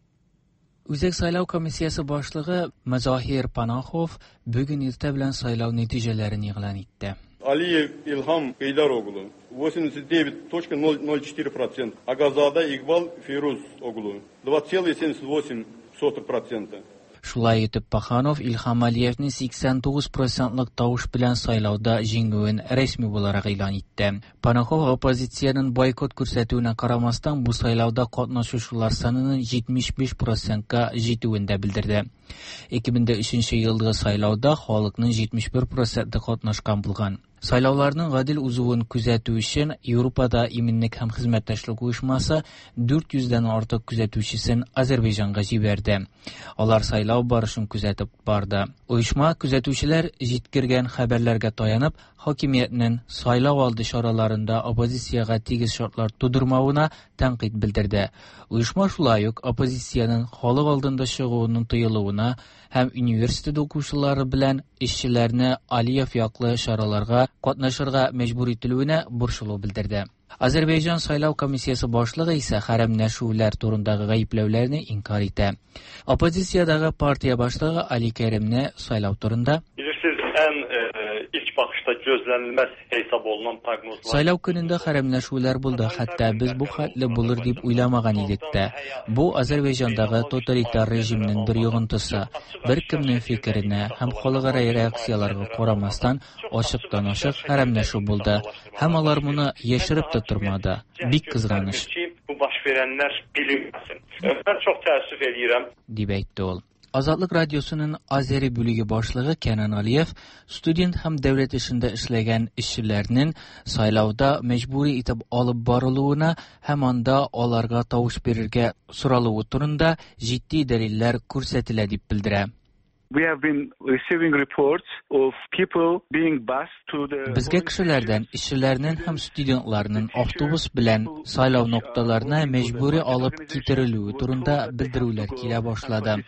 Үзәк сайлау комиссиясе башлыгы Мазахир Панахов бүген иртә белән сайлау нәтиҗәләрен игълан итте. Алиев Илһам Гейдар оглу восемьдесят девять точка ноль четыре процента, Агазада Игбал Фирuz оглу два целых семьдесят восемь сотых процента. Шулай итеп Паханов Илһам Алиевның сиксән тугыз процентлык тавыш белән сайлауда җиңүен рәсми буларак игълан итте. Панахов оппозициянең бойкот күрсәтүенә карамастан бу сайлауда катнашучылар санының җитмеш биш процентка җитүен дә белдерде. ике мең өченче елдагы сайлауда халыкның җитмеш бер проценты катнашкан булган. Сайлауларның гадел узуын күзәтү өчен Европада иминлек һәм хезмәттәшлек оешмасы дүрт йөздән артык күзәтүчесен Азербайҗанга җибәрде. Алар сайлау барышын күзәтеп барды. Оешма күзәтүчеләр җиткергән хәбәрләргә таянып, хакимиятнең сайлау алды чараларында оппозициягә тигез шартлар тудырмавына тәнкыйть белдерде. Оешма шулай ук оппозициянең халык алдында чыгуының тыелуына һәм университет укучылары белән эшчеләрне Алиев яклы чараларга катнашырга мәҗбүр ителүенә борчылу белдерде. Азербайҗан сайлау комиссиясе башлыгы исә хәрәмләшүләр турындагы гаепләүләрне инкар итә. Оппозициядәге партия башлыгы Али Кәримне сайлау турында: Bilirsiniz, ən ilk baxışda gözlənilməz hesab olunan proqnozlar. Сайлау көнендә хәрәмләшүләр булды, хәтта без бу хәтле булыр дип уйламаган идек тә. Бу Азербайҗандагы тоталитар режимның бер йогынтысы. Бер кемнең фикеренә һәм халыкара реакцияләргә карамастан ачыктан-ачык хәрәмләшү булды. Һәм алар моны яшереп тә тормады. Бик кызганыч. Bu baş verənlər bilinməsin. Mən çox təəssüf eləyirəm, дип әйтте ул. Азатлык радиосының Азери бүлеге башлыгы Кенан Алиев студент һәм дәүләт эшендә эшләгән эшчеләрнең сайлауда мәҗбүри итеп алып барылуына һәм анда аларга тавыш бирергә соралуы турында җитди дәлилләр күрсәтелә дип белдерә. We have been receiving reports of people being bused to the Безгә кешеләрдән, эшчеләрнең һәм студентларның автобус белән сайлау нокталарына мәҗбүри алып китерелүе турында белдерүләр килә башлады.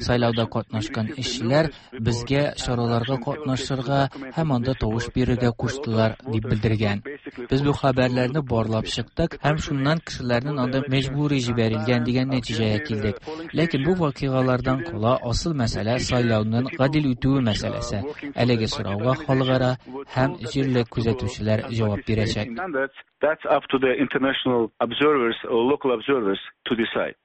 Сайлауда катнашкан эшчеләр безгә чараларга катнашырга һәм анда тавыш бирергә куштылар дип белдергән. Без бу хәбәрләрне барлап чыктык һәм шуннан кешеләрнең анда мәҗбүри җибәрелгән дигән нәтиҗәгә килдек. Ләкин бу вакыйгалардан кала асыл мәсьәлә сайлауның гадел үтүе мәсьәләсе. Әлеге сорауга халыкара һәм җирле күзәтүчеләр җавап бирәчәк. That's up to the international observers or local observers to decide.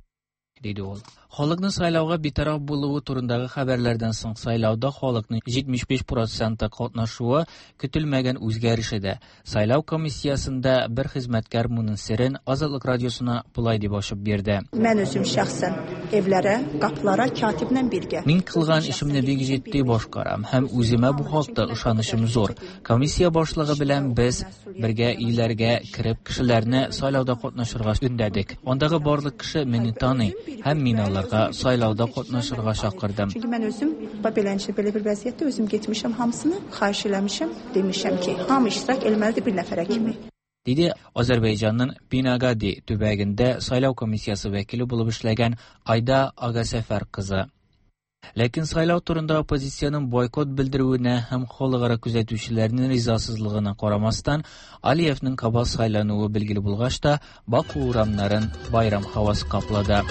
Диде ул. Халыкның сайлауга битараф булуы турындагы хәбәрләрдән соң сайлауда халыкның җитмеш биш проценты катнашуы көтелмәгән үзгәреш иде. Сайлау комиссиясендә бер хезмәткәр моның серен Азатлык радиосына болай дип ачып бирде. Мен үзем шәхсән evlərə, qapılara katiblə birgə. Мин кылган эшемне бик җитди башкарам һәм үземә бу хакта ышанычым зур. Комиссия башлыгы белән без бергә өйләргә кереп кешеләрне сайлауда катнашырга өндәдек. Андагы барлык кеше мине таный һәм мин аларга сайлауда катнашырга чакырдым. Çünki mən özüm beləncə belə bir vəziyyətdə özüm getmişəm hamısını, xahiş eləmişəm, demişəm ki, hamı iştirak eləməlidir bir nəfərə kimi. Диде Азербайҗанның Бинагadi төбәгендә сайлау комиссиясе вәкиле булып эшләгән Айда Агасәфәр кызы. Ләкин сайлау турында оппозициянең бойкот белдерүенә һәм халыкара күзәтүчеләрнең ризасызлыгына карамастан, Алиевның кабат сайлануы билгеле булгач та, Баку урамнарын байрам һавасы каплады.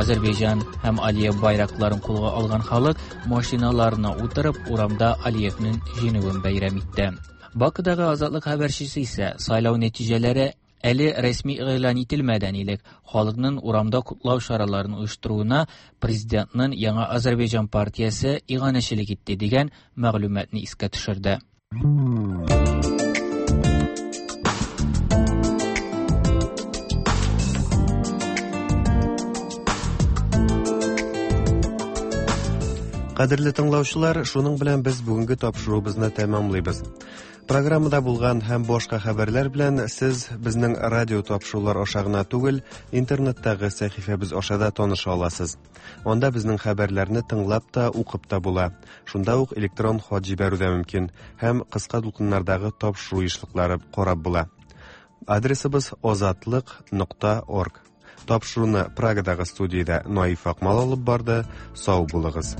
Азербайҗан һәм Алиев байракларын кулга алган халык машиналарына утырып урамда Алиевның җиңүен бәйрәм итте. Бакыдагы Азатлык хәбәрчесе исә сайлау нәтиҗәләре әле рәсми игълан ителмәдән элек халыкның урамда котлау чараларын оештыруына президентның Яңа Азербайҗан партиясе иганәчелек итте дигән мәгълүматны искә төшерде. Кадерле тыңлаучылар, шуның белән без бүгенге тапшыруыбызны тәмамлыйбыз. Программада булган һәм башка хәбәрләр белән сез безнең радио тапшырулар аша гына түгел, интернеттагы сәхифәбез аша да таныша аласыз. Анда безнең хәбәрләрне тыңлап та, укып та була. Шунда ук электрон хат җибәрү дә мөмкин һәм кыска дулкыннардагы тапшыру ешлыклары карап була. Адресыбыз озатлык нокта орг. Тапшыруны Прагадагы студиядә Наиф Акмал алып барды. Сау булыгыз.